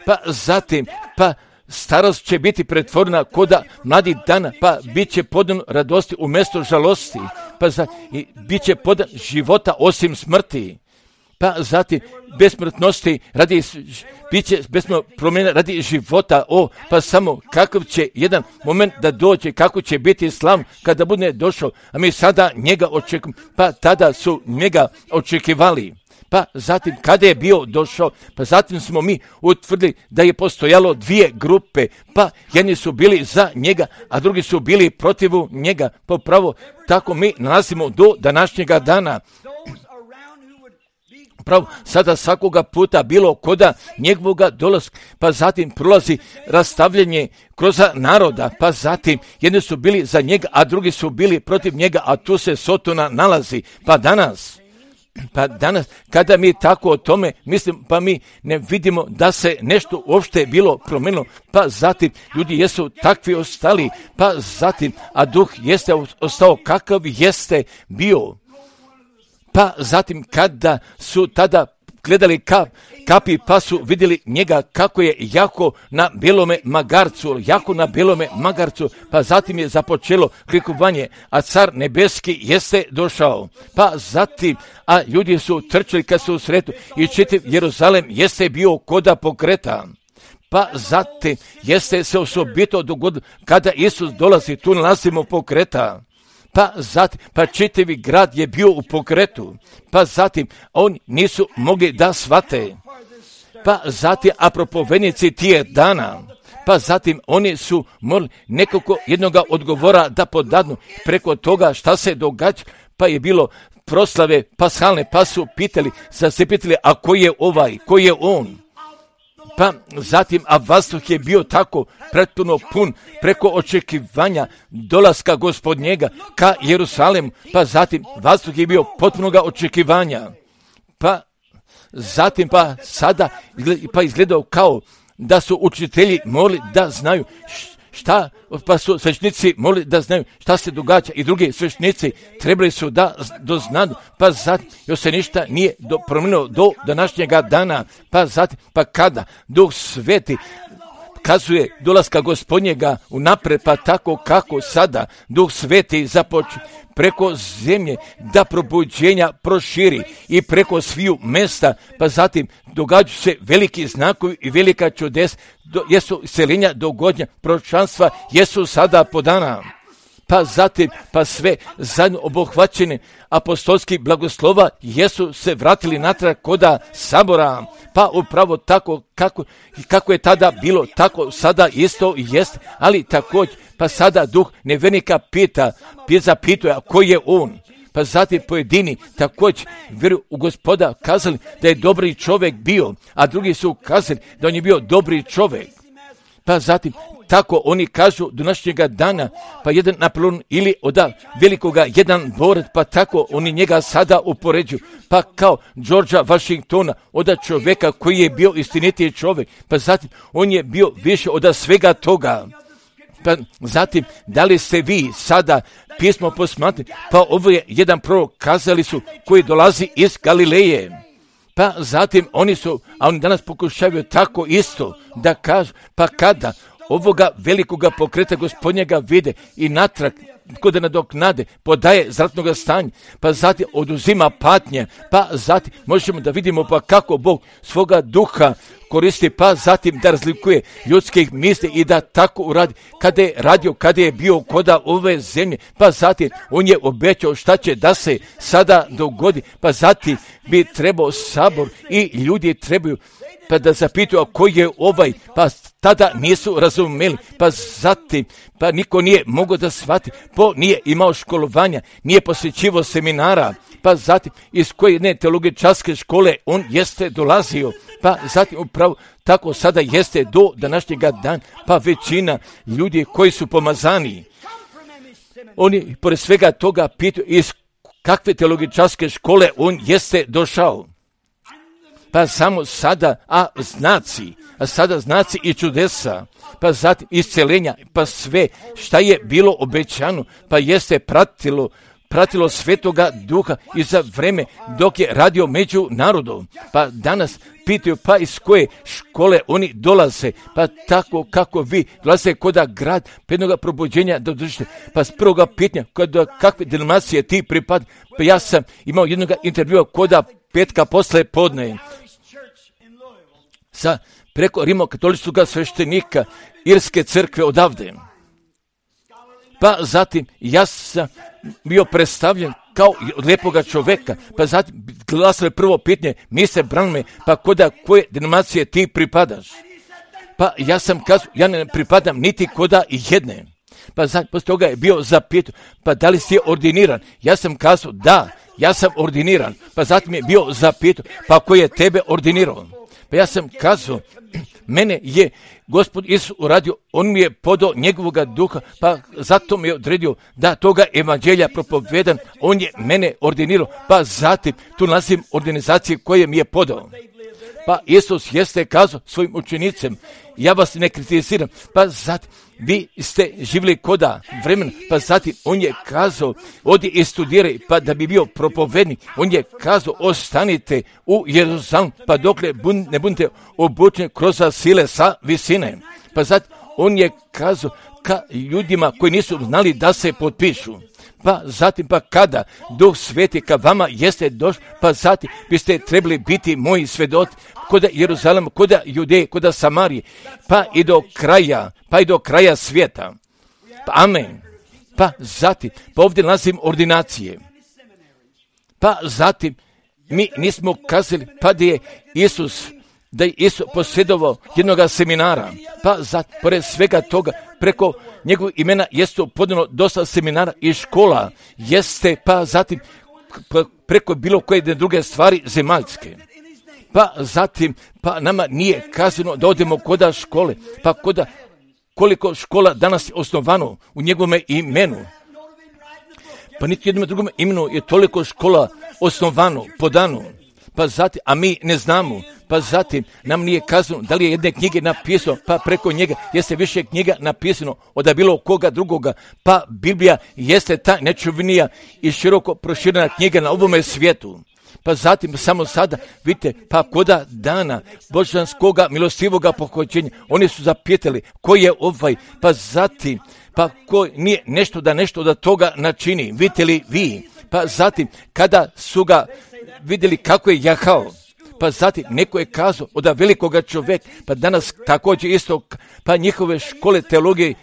Pa zatim, pa starost će biti pretvorena koda mladih dana, pa bit će podan radosti umjesto žalosti, pa za, i bit će podan života osim smrti. Pa zatim besmrtnosti radi, bit će besmrtno promjena radi života, o, pa samo kakav će jedan moment da dođe, kako će biti slav kada bude došao, a mi sada njega očekujemo, pa tada su njega očekivali. Pa zatim kada je bio došao, pa zatim smo mi utvrdili da je postojalo dvije grupe, pa jedni su bili za njega, a drugi su bili protiv njega. Pa pravo tako mi nalazimo do današnjega dana. Pravo, sada svakoga puta bilo koda njegovoga dolaska, pa zatim prolazi rastavljanje kroz naroda, pa zatim jedni su bili za njega, a drugi su bili protiv njega, a tu se Sotona nalazi. Pa danas, pa danas, kada mi tako o tome mislim, pa mi ne vidimo da se nešto uopšte bilo promenilo, pa zatim ljudi jesu takvi ostali, pa zatim, a duh jeste ostao kakav jeste bio. Pa zatim kada su tada gledali kap, kapi, pa su vidjeli njega kako je jako na belome magarcu, jako na belome magarcu, pa zatim je započelo klikovanje, a car nebeski jeste došao. Pa zatim, a ljudi su trčali kad su u sretu i čitav Jeruzalem jeste bio koda pokreta. Pa zatim jeste se osobito dogodilo kada Isus dolazi, tu nalazimo pokreta. Pa zatim, pa čitavi grad je bio u pokretu, pa zatim oni nisu mogli da shvate. Pa zatim, a propovednici tije dana, pa zatim oni su morali nekako jednoga odgovora da podadnu preko toga šta se događa, pa je bilo proslave pashalne, pa su pitali, sad se pitali, a ko je ovaj, ko je on? Pa zatim, a vazduh je bio tako pretpuno pun preko očekivanja dolaska Gospodnjega ka Jerusalemu, pa zatim vazduh je bio potpunoga očekivanja. Pa zatim, pa sada pa izgledao kao da su učitelji morali da znaju šta, pa su sveštenici morali da znaju šta se događa i drugi sveštenici trebali su da doznadu, pa zatim još se ništa nije do, promijenilo do današnjega dana, pa zatim, pa kada Duh Sveti kazuje dolaska Gospodnjega unapred, pa tako kako sada Duh Sveti započne preko zemlje da probuđenja proširi i preko sviju mesta, pa zatim događaju se veliki znakovi i velika čudes, do, jesu iseljenja dogodnja, proročanstva jesu sada podana. Pa zatim, pa sve zajedno obuhvaćene apostolski blagoslova jesu se vratili natrag koda sabora, pa upravo tako kako, kako je tada bilo, tako sada isto jest, ali također, pa sada duh nevernika pita, zapituje, a ko je on? Pa zatim pojedini također vjeruju u Gospoda kazali da je dobri čovjek bio, a drugi su kazali da on je bio dobri čovjek. Pa zatim, tako oni kažu do današnjega dana, pa jedan Napoleon ili od velikoga jedan borac, pa tako oni njega sada upoređuju, pa kao Georgea Washingtona, od čovjeka koji je bio istinitiji čovjek, pa zatim on je bio više od svega toga. Pa zatim, da li ste vi sada pismo posmatrali, pa ovo je jedan prorok, kazali su, koji dolazi iz Galileje. Pa zatim oni su, a oni danas pokušavaju tako isto da kažu, pa kada ovoga velikoga pokreta Gospodnjega vide i natrag kod nadoknade, podaje zratnoga stanja, pa zatim oduzima patnje, pa zatim možemo da vidimo pa kako Bog svoga duha koristi, pa zatim da razlikuje ljudskih misli i da tako uradi kada je radio, kada je bio koda ove zemlje, pa zatim on je obećao šta će da se sada dogodi, pa zatim bi trebao sabor i ljudi trebaju pa da zapitaju koji je ovaj, pa tada nisu razumeli, pa zatim, pa niko nije mogao da shvati, po nije imao školovanja, nije posjećivo seminara, pa zatim iz koje jedne teologičarske škole on jeste dolazio, pa zatim upravo tako sada jeste do današnjega dana, pa većina ljudi koji su pomazani, oni pored svega toga pitaju iz kakve teologičarske škole on jeste došao. Pa samo sada, a znaci, a sada znaci i čudesa, pa zatim isceljenja, pa sve šta je bilo obećano, pa jeste pratilo, pratilo Svetoga Duha i za vreme dok je radio među narodom. Pa danas pitaju pa iz koje škole oni dolaze, pa tako kako vi dolaze koda grad prednoga probuđenja da održite. Pa s prvoga pitanja koda kakve denominacije ti pripad, pa ja sam imao jednog intervjua koda petka posle podne sa preko rimokatoličkog sveštenika Irske crkve odavde. Pa zatim ja sam bio predstavljen kao od lijepoga čoveka, pa zatim glasilo je prvo pitanje, mi se branime, pa koda koje denominacije ti pripadaš? Pa ja sam kazao, ja ne pripadam niti koda jedne. Pa zatim posle toga je bio zapitan, pa da li si ordiniran? Ja sam kazao, da, ja sam ordiniran. Pa zatim je bio zapitan, pa ko je tebe ordinirao? Pa ja sam kazao, mene je Gospod Isus uradio, on mi je podao njegovoga duha, pa zato mi je odredio da toga evanđelja propovedam, on je mene ordinirao, pa zatim tu nalazim organizacije koje mi je podao. Pa Isus jeste kazao svojim učenicima, ja vas ne kritiziram, pa zatim vi ste živjeli koda vremena, pa zatim on je kazao, odi i studiraj, pa da bi bio propovednik, on je kazao, ostanite u Jeruzalemu, pa dokle bun, ne budete obučeni kroz sile sa visine. Pa zatim on je kazao ka ljudima koji nisu znali da se potpišu. Pa zatim pa kada Duh Sveti ka vama jeste došao, pa zatim biste trebali biti moji svedoci koda Jeruzalema, koda Judeje, koda Samarije, pa i do kraja, pa i do kraja svijeta. Pa amen. Pa zatim, pa ovdje nalazim ordinacije. Pa zatim, mi nismo kazali, pa da je Isus, da je Isus posjedovao jednoga seminara, pa zatim, pored svega toga, preko njegovog imena jeste podano dosta seminara i škola, jeste, pa zatim, preko bilo koje druge stvari zemaljske. Pa zatim, pa nama nije kazano da odemo koda škole, pa koda koliko škola danas je osnovano u njegovome imenu. Pa niti jednom drugom imenu je toliko škola osnovano, podano, pa zatim, a mi ne znamo, pa zatim nam nije kazano da li je jedne knjige napisano, pa preko njega jeste više knjiga napisano od bilo koga drugoga, pa Biblija jeste ta nečuvnija i široko proširena knjiga na ovome svijetu. Pa zatim samo sada, vidite, pa koda dana božanskoga milostivoga pohođenja, oni su zapitali ko je ovaj, pa zatim, pa ko nije nešto da nešto da toga načini, vidite li vi, pa zatim kada su ga vidjeli kako je jahao, pa zatim neko je kazao od velikoga čovjeka, pa danas također isto, pa njihove škole teologije,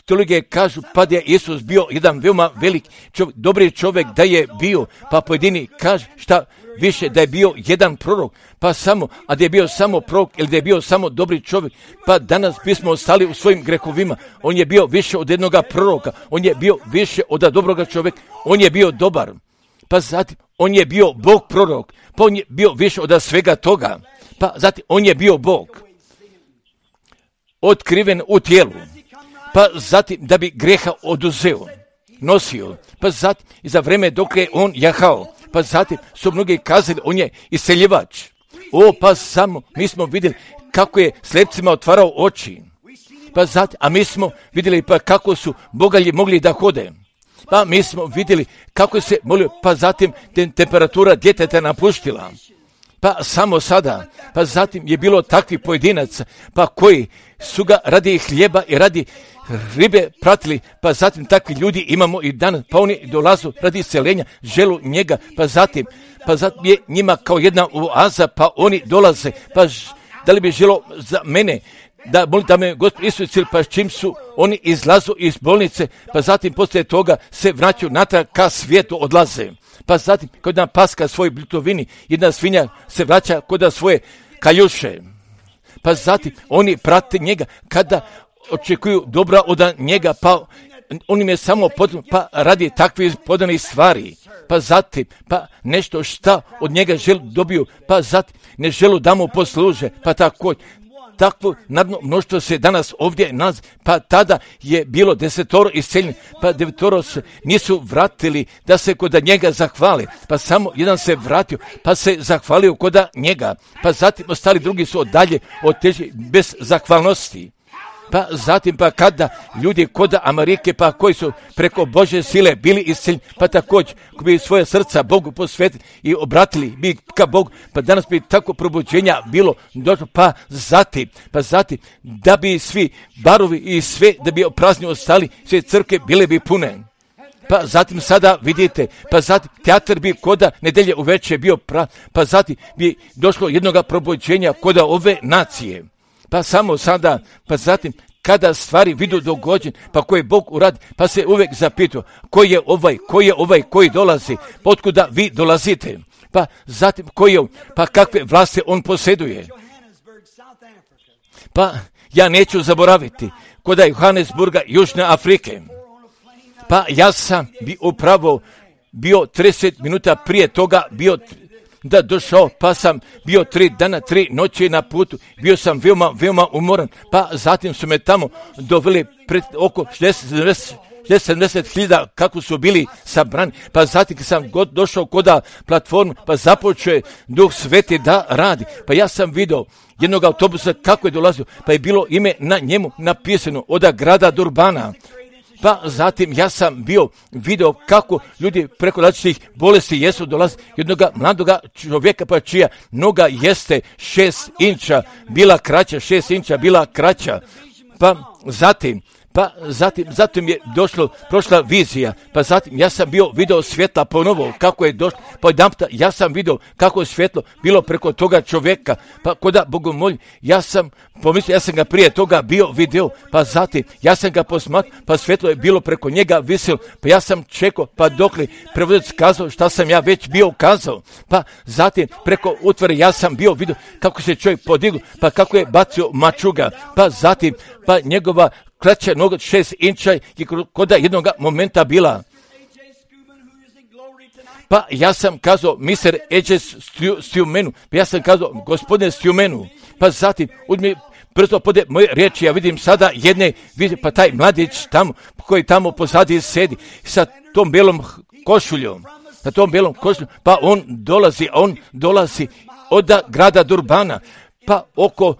teologije kažu pa da je Isus bio jedan veoma velik čovjek, dobri čovjek da je bio, pa pojedini kaže šta više da je bio jedan prorok, pa samo, a da je bio samo prorok ili da je bio samo dobri čovjek, pa danas bismo ostali u svojim grehovima. On je bio više od jednoga proroka, on je bio više od dobroga čovjeka, on je bio dobar, pa zatim on je bio Bog prorok, pa on je bio više od svega toga, pa zatim on je bio Bog otkriven u tijelu, pa zatim da bi greha oduzeo, nosio, pa zatim i za vreme dok je on jahao, pa zatim su mnogi kazali on je iseljivač. O, pa samo mi smo vidjeli kako je slepcima otvarao oči, pa zatim, a mi smo vidjeli pa kako su bogalji mogli da hode, pa mi smo vidjeli kako se molio, pa zatim te, temperatura djeteta napuštila, pa samo sada, pa zatim je bilo takvih pojedinaca, pa koji su ga radi hljeba i radi ribe pratili, pa zatim takvi ljudi imamo i danas, pa oni dolazu radi isceljenja, želu njega, pa zatim, pa zatim je njima kao jedna oaza, pa oni dolaze, pa ž, da li bi želo za mene, da molim da me Gospod Isus, pa čim su oni izlazu iz bolnice, pa zatim poslije toga se vraćaju natrag ka svijetu odlaze. Pa zatim, kod jedna paska svoj blitovini, jedna svinja se vraća kod svoje kaljuše. Pa zatim, oni prate njega kada očekuju dobra od njega, pa on im je samo potrebno, pa radi takvih podanih stvari. Pa zatim, pa nešto šta od njega želu dobiju, pa zatim ne želu da mu posluže, pa tako takvo nadno mnoštvo se danas ovdje nalazi, pa tada je bilo desetoro isceljenih, pa devetoro se nisu vratili da se kod njega zahvali, pa samo jedan se vratio, pa se zahvalio kod njega, pa zatim ostali drugi su dalje otišli bez zahvalnosti. Pa zatim, pa kada ljudi kod Amerike, pa koji su preko Božje sile bili isceljeni, pa također bi svoje srca Bogu posvetili i obratili bi ka Bogu, pa danas bi tako probuđenja bilo došlo, pa zatim, pa zatim, da bi svi barovi i sve, da bi prazni ostali, sve crkve bile bi pune. Pa zatim sada vidite, pa zatim teatr bi koda nedelje uveče bio prav, pa zatim bi došlo jednoga probuđenja koda ove nacije. Pa samo sada, pa zatim, kada stvari vidu dogođen, pa koje Bog uradi, pa se uvijek zapitu, koji je ovaj, koji je ovaj, koji dolazi, otkuda vi dolazite, pa zatim, koji je on, pa kakve vlasti on posjeduje. Pa ja neću zaboraviti, kod Johannesburga, Južne Afrike, pa ja sam bi upravo bio trideset minuta prije toga bio da došao, pa sam bio tri dana, tri noći na putu, bio sam veoma, veoma umoran, pa zatim su me tamo doveli pred oko šezdeset sedamdeset hiljada kako su bili sabrani, pa zatim kad sam god došao kod platformu, pa započeo Duh Sveti da radi, pa ja sam vidio jednog autobusa kako je dolazio, pa je bilo ime na njemu napisano od grada Durbana. Pa zatim ja sam bio video kako ljudi preko različitih bolesti jesu dolazi jednog mladoga čovjeka, pa čija noga jeste šest inča bila kraća, šest inča bila kraća. Pa zatim, pa zatim, zatim je došlo, prošla vizija, pa zatim ja sam bio video svjetla ponovo, kako je došlo, pa jedanputa ja sam video kako je svjetlo bilo preko toga čovjeka, pa koda bogomolj, ja sam pomislio, ja sam ga prije toga bio video, pa zatim ja sam ga posmatrao, pa svjetlo je bilo preko njega visilo, pa ja sam čekao, pa dokle prevodilac kazao šta sam ja već bio kazao, pa zatim preko utvore ja sam bio video kako se čovjek podigao, pa kako je bacio mačuga, pa zatim, pa njegova kraća noga šest inča je kod jednog momenta bila. Pa ja sam kazao mister Eđe Stjumenu, pa ja sam kazao gospodine Stjumenu, pa zatim uzmi brzo pode moje riječi, ja vidim sada jedne, vidim, pa taj mladić tamo, koji tamo pozadi sedi sa tom belom košuljom, sa tom belom košuljom, pa on dolazi, on dolazi od grada Durbana, pa oko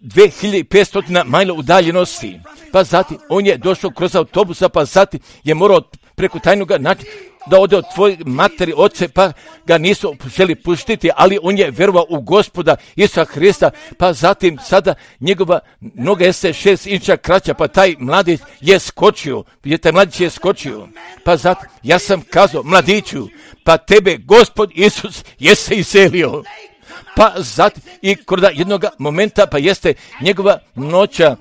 dvije hiljade petsto majla udaljenosti. Pa zatim on je došao kroz autobusa, pa zatim je morao preko tajnog načina da ode od tvoje materi, oce, pa ga nisu želi puštiti, ali on je vjerovao u Gospoda Isusa Hrista, pa zatim sada njegova noga jeste šest inča kraća, pa taj mladić je skočio, je taj mladić je skočio, pa zatim ja sam kazao mladiću, pa tebe Gospod Isus je se iselio. Pa zatim i kod jednog momenta, pa jeste njegova noća,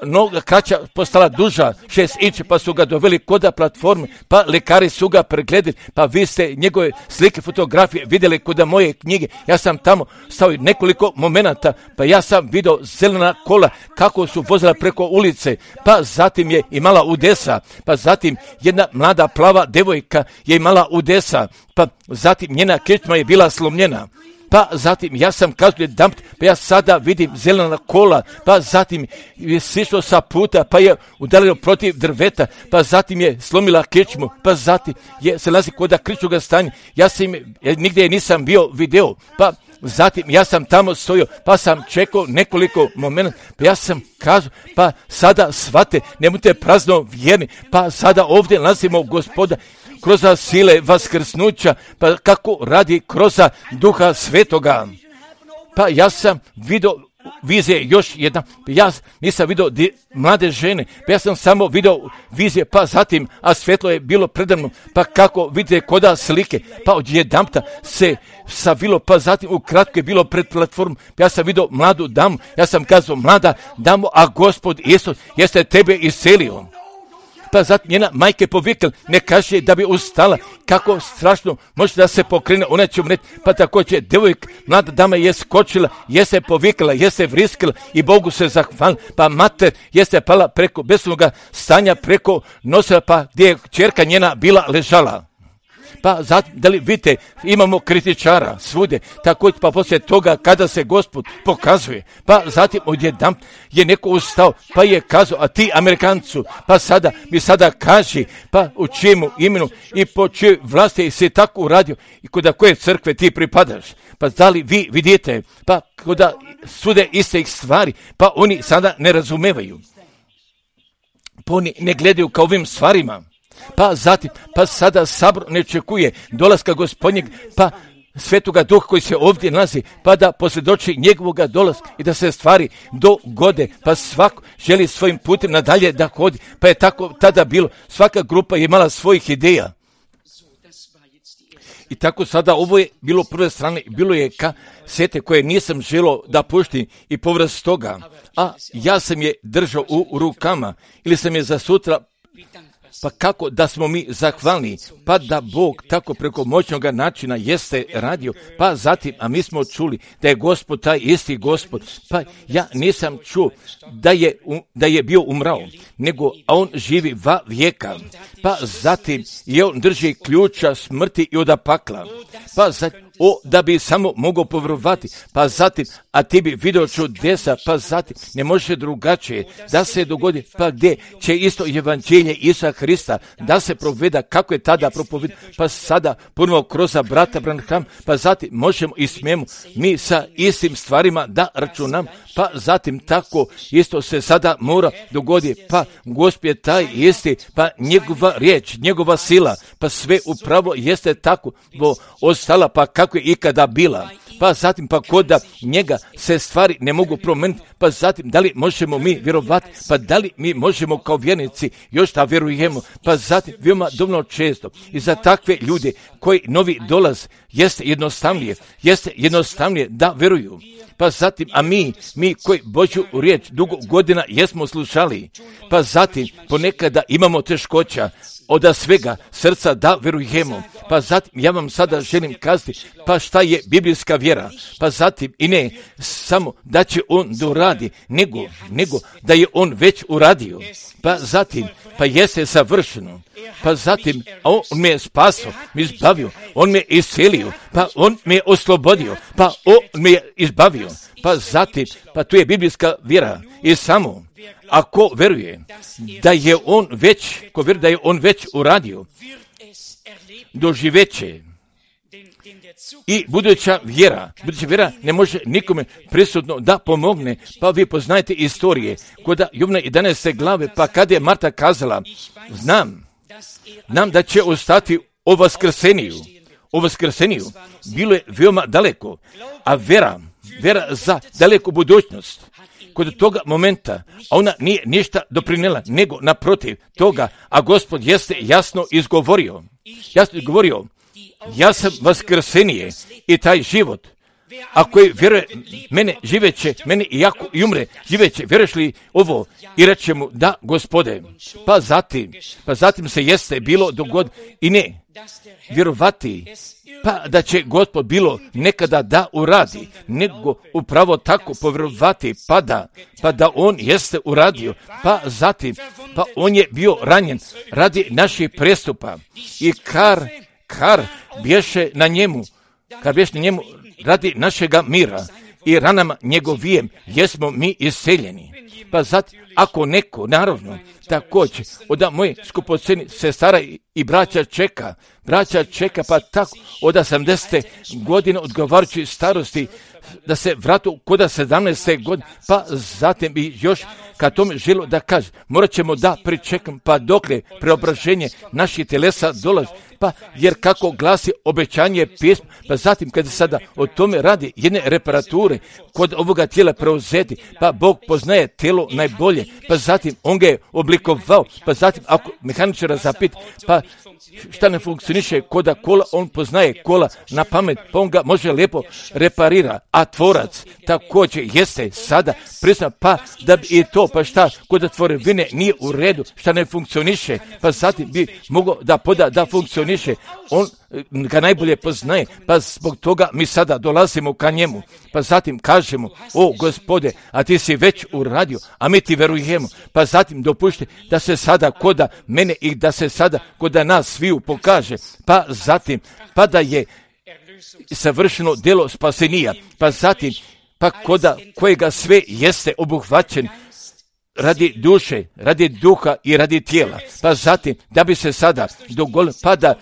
noga kraća postala duža, šest inči, pa su ga doveli kod platforme, pa lekari su ga pregledali, pa vi ste njegove slike, fotografije vidjeli kod moje knjige, ja sam tamo stavio nekoliko momenata, pa ja sam vidio zelena kola kako su vozila preko ulice, pa zatim je imala udesa, pa zatim jedna mlada plava devojka je imala udesa, pa zatim njena kičma je bila slomljena. Pa zatim ja sam kazao damp, pa ja sada vidim zelena kola, pa zatim je sišlo sa puta, pa je udarilo protiv drveta, pa zatim je slomila kičmu, pa zatim je se nalazi kod kričnoga stanja, ja sam ja nigdje nisam bio video, pa zatim ja sam tamo stojio, pa sam čekao nekoliko momenta, pa ja sam kazao, pa sada shvate, nemojte prazno vjerni, pa sada ovdje nalazimo Gospoda, kroz sile vaskrsnuća, pa kako radi kroz Duha Svetoga. Pa ja sam vidio vizije još jedna, ja nisam vidio di, mlade žene, pa ja sam samo vidio vizije, pa zatim, a svjetlo je bilo predavno, pa kako vidite koda slike, pa odjedanput se savilo, pa zatim ukratko je bilo pred platformom, pa ja sam vidio mladu damu, ja sam kazao, mlada damu, a Gospod Isus jeste tebe iscelio. Pa zatim njena majke povikla, ne kaže da bi ustala, kako strašno može da se pokrene, ona će umreti, pa također djevojka, mlada dama je skočila, je se povikla, je se vriskila i Bogu se zahvalila, pa mater je se pala preko besnoga stanja, preko nosila, pa gdje je kćerka njena bila ležala. Pa zatim, da li vidite, imamo kritičara svude, također pa poslije toga kada se Gospod pokazuje, pa zatim odjednom je neko ustao, pa je kazao, a ti Amerikancu, pa sada mi sada kaži, pa u čijemu imenu i po čijoj vlasti si tako uradio i kod koje crkve ti pripadaš. Pa da li vi vidite, pa kod sude iste ih stvari, pa oni sada ne razumevaju. Pa oni ne gledaju kao ovim stvarima. Pa zatim, pa sada sabor ne očekuje dolaska Gospodnjeg, pa Svetoga Duha koji se ovdje nalazi, pa da posvjedoči njegovoga dolaska i da se stvari dogode, pa svako želi svojim putem nadalje da hodi, pa je tako tada bilo, svaka grupa je imala svojih ideja. I tako sada ovo je bilo prve strane, bilo je kasete koje nisam želio da puštim i povrat toga, a ja sam je držao u rukama ili sam je za sutra. Pa kako da smo mi zahvalni, pa da Bog tako preko moćnog načina jeste radio, pa zatim, a mi smo čuli da je Gospod taj isti Gospod, pa ja nisam čuo da je, da je bio umrao, nego a on živi va vijeka, pa zatim i on drži ključa smrti i od pakla, pa zatim, o, da bi samo mogao povjerovati, pa zatim, a ti bi vidio čudesa, pa zatim, ne može drugačije da se dogodi, pa gdje će isto evanđelje Isusa Hrista da se proveda, kako je tada propoveda, pa sada ponovo kroz brata Branham, pa zatim možemo i smijemo mi sa istim stvarima da računam, pa zatim tako isto se sada mora dogoditi, pa Gospod je taj isti, pa njegova riječ, njegova sila, pa sve upravo jeste tako bo ostala, pa kako je ikada bila. Pa zatim, pa kod da njega se stvari ne mogu promijeniti, pa zatim, da li možemo mi vjerovati, pa da li mi možemo kao vjernici još da vjerujemo, pa zatim, veoma dovoljno često i za takve ljude koji novi dolaz jeste jednostavnije, jeste jednostavnije da vjeruju. Pa zatim, a mi, mi koji Božju riječ dugo godina jesmo slušali, pa zatim ponekada imamo teškoća od svega srca da vjerujemo. Pa zatim, ja vam sada želim kazati, pa šta je biblijska vjera? Pa zatim, i ne samo da će on doradi, nego, nego da je on već uradio. Pa zatim, pa jeste savršeno. Pa zatim, a on me je spasio, me izbavio, on me je iscelio, pa on me je oslobodio, pa on me je izbavio. Pa zatim, pa tu je biblijska vjera i samo ako veruje da je on već, ko veruje da je on već uradio, doživeće. I buduća vjera, buduća vjera ne može nikome prisutno da pomogne, pa vi poznajete istorije, kod Jovana jedanaeste glave, pa kada je Marta kazala, znam, znam da će ostati o vaskrseniju, o vaskrseniju, bilo je veoma daleko, a vera, vera za daleku budućnost, kod toga momenta, a ona nije ništa doprinijela, nego naprotiv toga, a Gospod jeste jasno izgovorio, jasno izgovorio, ja sam vaskrsenije i taj život, a koji vjeruje mene živeće, mene i jako i umre, živeće, vjeruješ li ovo? I reče mu, da, Gospode, pa zatim, pa zatim se jeste bilo dogod i ne, vjerovati, pa da će Gospod bilo nekada da uradi, nego upravo tako povjerovati, pa da, pa da on jeste uradio, pa zatim, pa on je bio ranjen radi naših prestupa i kar, kar bješe na njemu, kar bješe na njemu radi našega mira i ranama njegovijem jesmo mi isceljeni. Pa zatim, ako neko, naravno, također, od moje skupoceni sestara i braća čeka, braća čeka, pa tako, od osamdesete godine odgovarajući starosti, da se vratu kod sedamnaeste godine, pa zatim i još kad tome želo da kaže, morat ćemo da pričekam, pa dokle preobraženje naših telesa dolazi, pa jer kako glasi obećanje pisma, pa zatim kada sada o tome radi jedne reparature kod ovoga tijela preuzeti, pa Bog poznaje tijelo najbolje, pa zatim on ga je oblikovao, pa zatim ako mehaničara zapit, pa šta ne funkcioniše koda kola, on poznaje kola na pamet, pa on ga može lijepo reparira, a tvorac također jeste sada prizna, pa da bi i to, pa šta kod tvorevine nije u redu, šta ne funkcioniše, pa zatim bi mogao da poda da funkcioniše, on ga najbolje poznaje, pa zbog toga mi sada dolazimo ka njemu, pa zatim kažemo, o Gospode, a ti si već uradio, a mi ti verujemo, pa zatim dopušti da se sada koda mene i da se sada koda nas sviju pokaže, pa zatim, pa da je savršeno djelo spasenija, pa zatim, pa koda kojega sve jeste obuhvaćen radi duše, radi duha i radi tijela, pa zatim da bi se sada dogodilo, pa da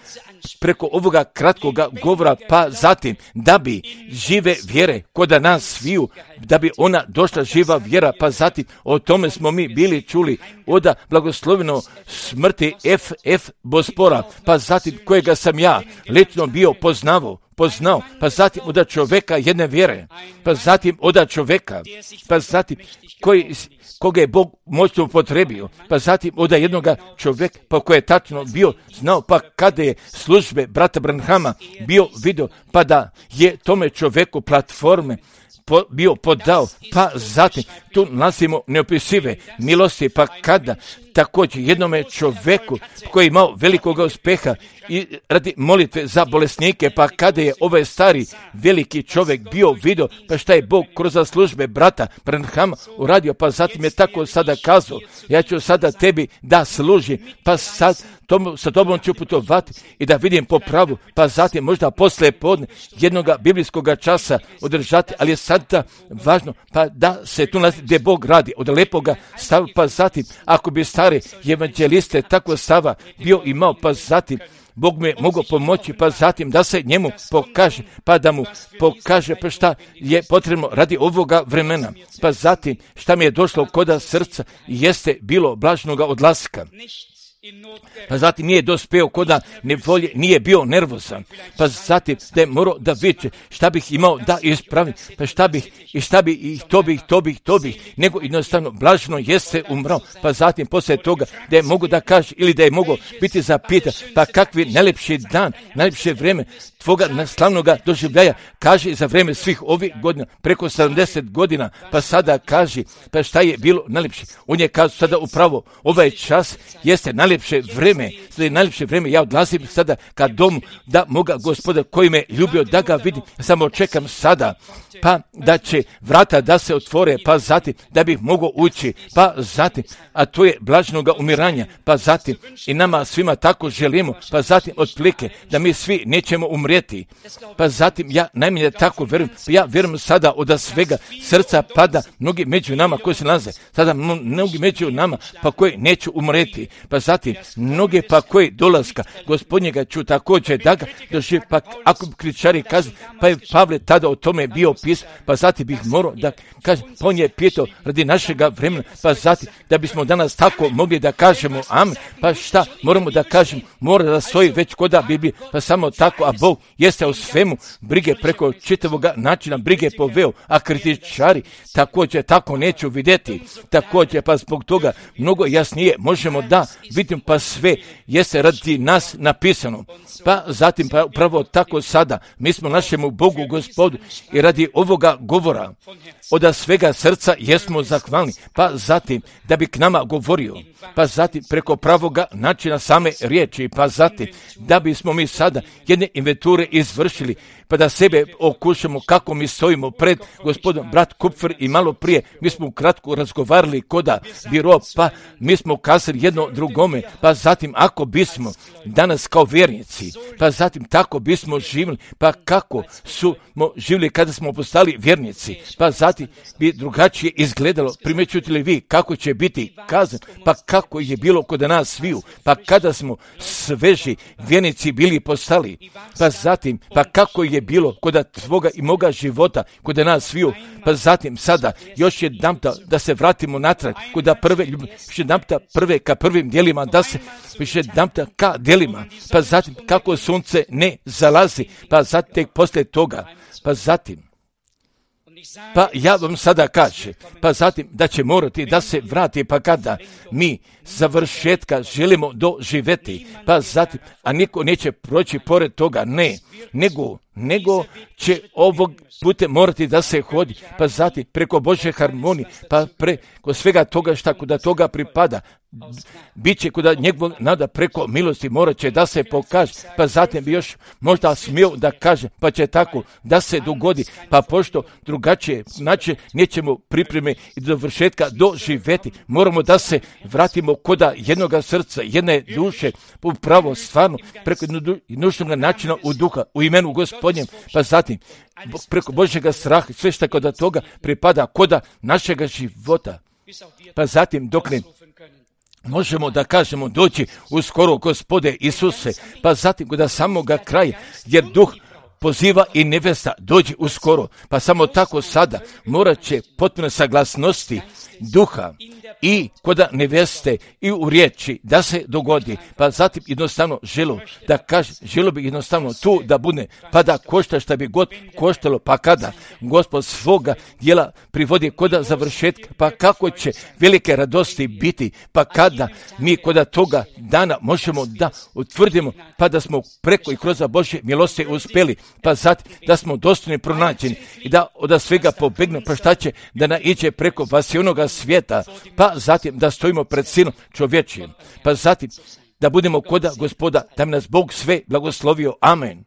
preko ovoga kratkoga govora, pa zatim da bi žive vjere koda nas sviju, da bi ona došla živa vjera, pa zatim o tome smo mi bili čuli oda blagosloveno smrti F F Bospora, pa zatim kojega sam ja lično bio poznavao, poznao, pa zatim oda čovjeka jedne vjere, pa zatim oda čovjeka, pa zatim koji koga je Bog moćno upotrebio, pa zatim oda jednoga čovjeka, pa koji je tačno bio znao, pa kada je službe brata Branhama bio vidio, pa da je tome čovjeku platforme po, bio podao, pa zatim tu nalazimo neopisive milosti, pa kada također jednome čovjeku koji je imao velikog uspeha i radi molitve za bolesnike, pa kada je ovaj stari veliki čovjek bio vidio, pa šta je Bog kroz službe brata Branhama uradio, pa zatim je tako sada kazao, ja ću sada tebi da služim, pa sad tomu, sa tobom ću putovati i da vidim po pravu, pa zatim možda poslije podne jednoga biblijskog časa održati, ali je sada važno pa da se tu nalazi gdje Bog radi, od lepoga stava, pa zatim ako bi stari evanđeliste tako stava bio imao, pa zatim Bog mi je mogao pomoći, pa zatim da se njemu pokaže, pa da mu pokaže pa šta je potrebno radi ovoga vremena, pa zatim šta mi je došlo koda srca jeste bilo blažnoga odlaska. Pa zatim nije dospeo koda nevolje, nije bio nervozan, pa zatim da je morao da viče šta bih imao da ispravim, pa šta bih i šta bih i to bih, to bih, to bih, nego jednostavno blažno jeste umrao, pa zatim poslije toga da je mogu da kaže ili da je mogo biti zapitan, pa kakvi najlepši dan, najlepše vrijeme tvoga slavnoga doživljaja, kaže za vrijeme svih ovih godina, preko sedamdeset godina, pa sada kaže, pa šta je bilo najlepše, on je kazao sada upravo ovaj čas jeste najlepše vrijeme, sada je najlepše vrijeme, ja odlazim sada ka domu, da moga Gospoda koji me ljubio da ga vidim, samo čekam sada, pa da će vrata da se otvore, pa zatim da bih mogao ući, pa zatim, a to je blažnoga umiranja, pa zatim i nama svima tako želimo, pa zatim otplike da mi svi nećemo umrijeti, pa zatim ja najmanje tako vjerujem, pa ja vjerujem sada od svega srca pada mnogi među nama koji se nalaze, sada mnogi među nama pa koji neću umrijeti, pa zatim mnoge pa koji dolaska Gospodnjega ću također da ga doživi, pa ako bi kričari kazi, pa je Pavle tada o tome bio pis, pa zatim bih morao da kažem, pa on je pitao radi našega vremena, pa zatim da bismo danas tako mogli da kažemo amen, pa šta moramo da kažemo, mora da stoji već koda Biblije, pa samo tako, a Bog jeste u svemu brige preko čitavoga načina brige poveo, a kritičari također tako neću vidjeti, također pa zbog toga mnogo jasnije možemo da vidim, pa sve jeste radi nas napisano, pa zatim pa upravo tako sada mi smo našemu Bogu Gospodu i radi ovoga govora od svega srca jesmo zahvalni, pa zatim da bi k nama govorio, pa zatim preko pravoga načina same riječi, pa zatim da bismo mi sada jedne inventure izvršili, pa da sebe okušamo kako mi stojimo pred Gospodom. Brat Kupfer i malo prije mi smo kratko razgovarali koda biro, pa mi smo kazali jedno drugome, pa zatim ako bismo danas kao vjernici, pa zatim tako bismo živjeli, pa kako smo živjeli kada smo postali vjernici, pa zatim bi drugačije izgledalo, primjećujete li vi kako će biti kazan, pa kako je bilo kod nas sviju, pa kada smo sveži vjernici bili postali, pa zatim, pa kako je bilo kod tvoga i moga života, kod nas sviju, pa zatim sada još jedan da se vratimo natrag, kod prve, još jedan prve ka prvim dijelima da se više damta ka delima, pa zatim kako sunce ne zalazi, pa zatim tek poslije toga, pa zatim pa ja vam sada kažem, pa zatim da će morati da se vrati, pa kada mi završetka želimo doživjeti, pa zatim, a niko neće proći pored toga, ne, nego, nego će ovog putem morati da se hodi, pa zatim preko Božje harmonije, pa preko svega toga šta kuda toga pripada, bit će kuda njegovog nada preko milosti morat će da se pokaže, pa zatim bi još možda smio da kaže, pa će tako da se dogodi, pa pošto drugačije, znači nećemo pripreme i do vršetka doživjeti, moramo da se vratimo koda jednoga srca, jedne duše, upravo stvarno, preko nužnog načina u duha, u imenu Gospodnjem, pa zatim preko Božjega straha, sve što kod toga pripada koda našega života, pa zatim dok ne možemo da kažemo doći uskoro Gospode Isuse, pa zatim do samoga kraja, jer duh poziva i nevesta dođi uskoro, pa samo tako sada morat će potpuno saglasnosti duha i koda neveste i u riječi da se dogodi, pa zatim jednostavno želo da kaže, želo bi jednostavno tu da bude, pa da košta šta bi god koštalo, pa kada Gospod svoga djela privodi koda završetka, pa kako će velike radosti biti, pa kada mi koda toga dana možemo da utvrdimo, pa da smo preko i kroz Božje milosti uspjeli, pa zatim da smo dostojni pronađeni i da od svega pobegnu, pa šta će da naiđe preko vasionoga svijeta, pa zatim da stojimo pred sinom čovječijim, pa zatim da budemo koda Gospoda, da mi nas Bog sve blagoslovio. Amen.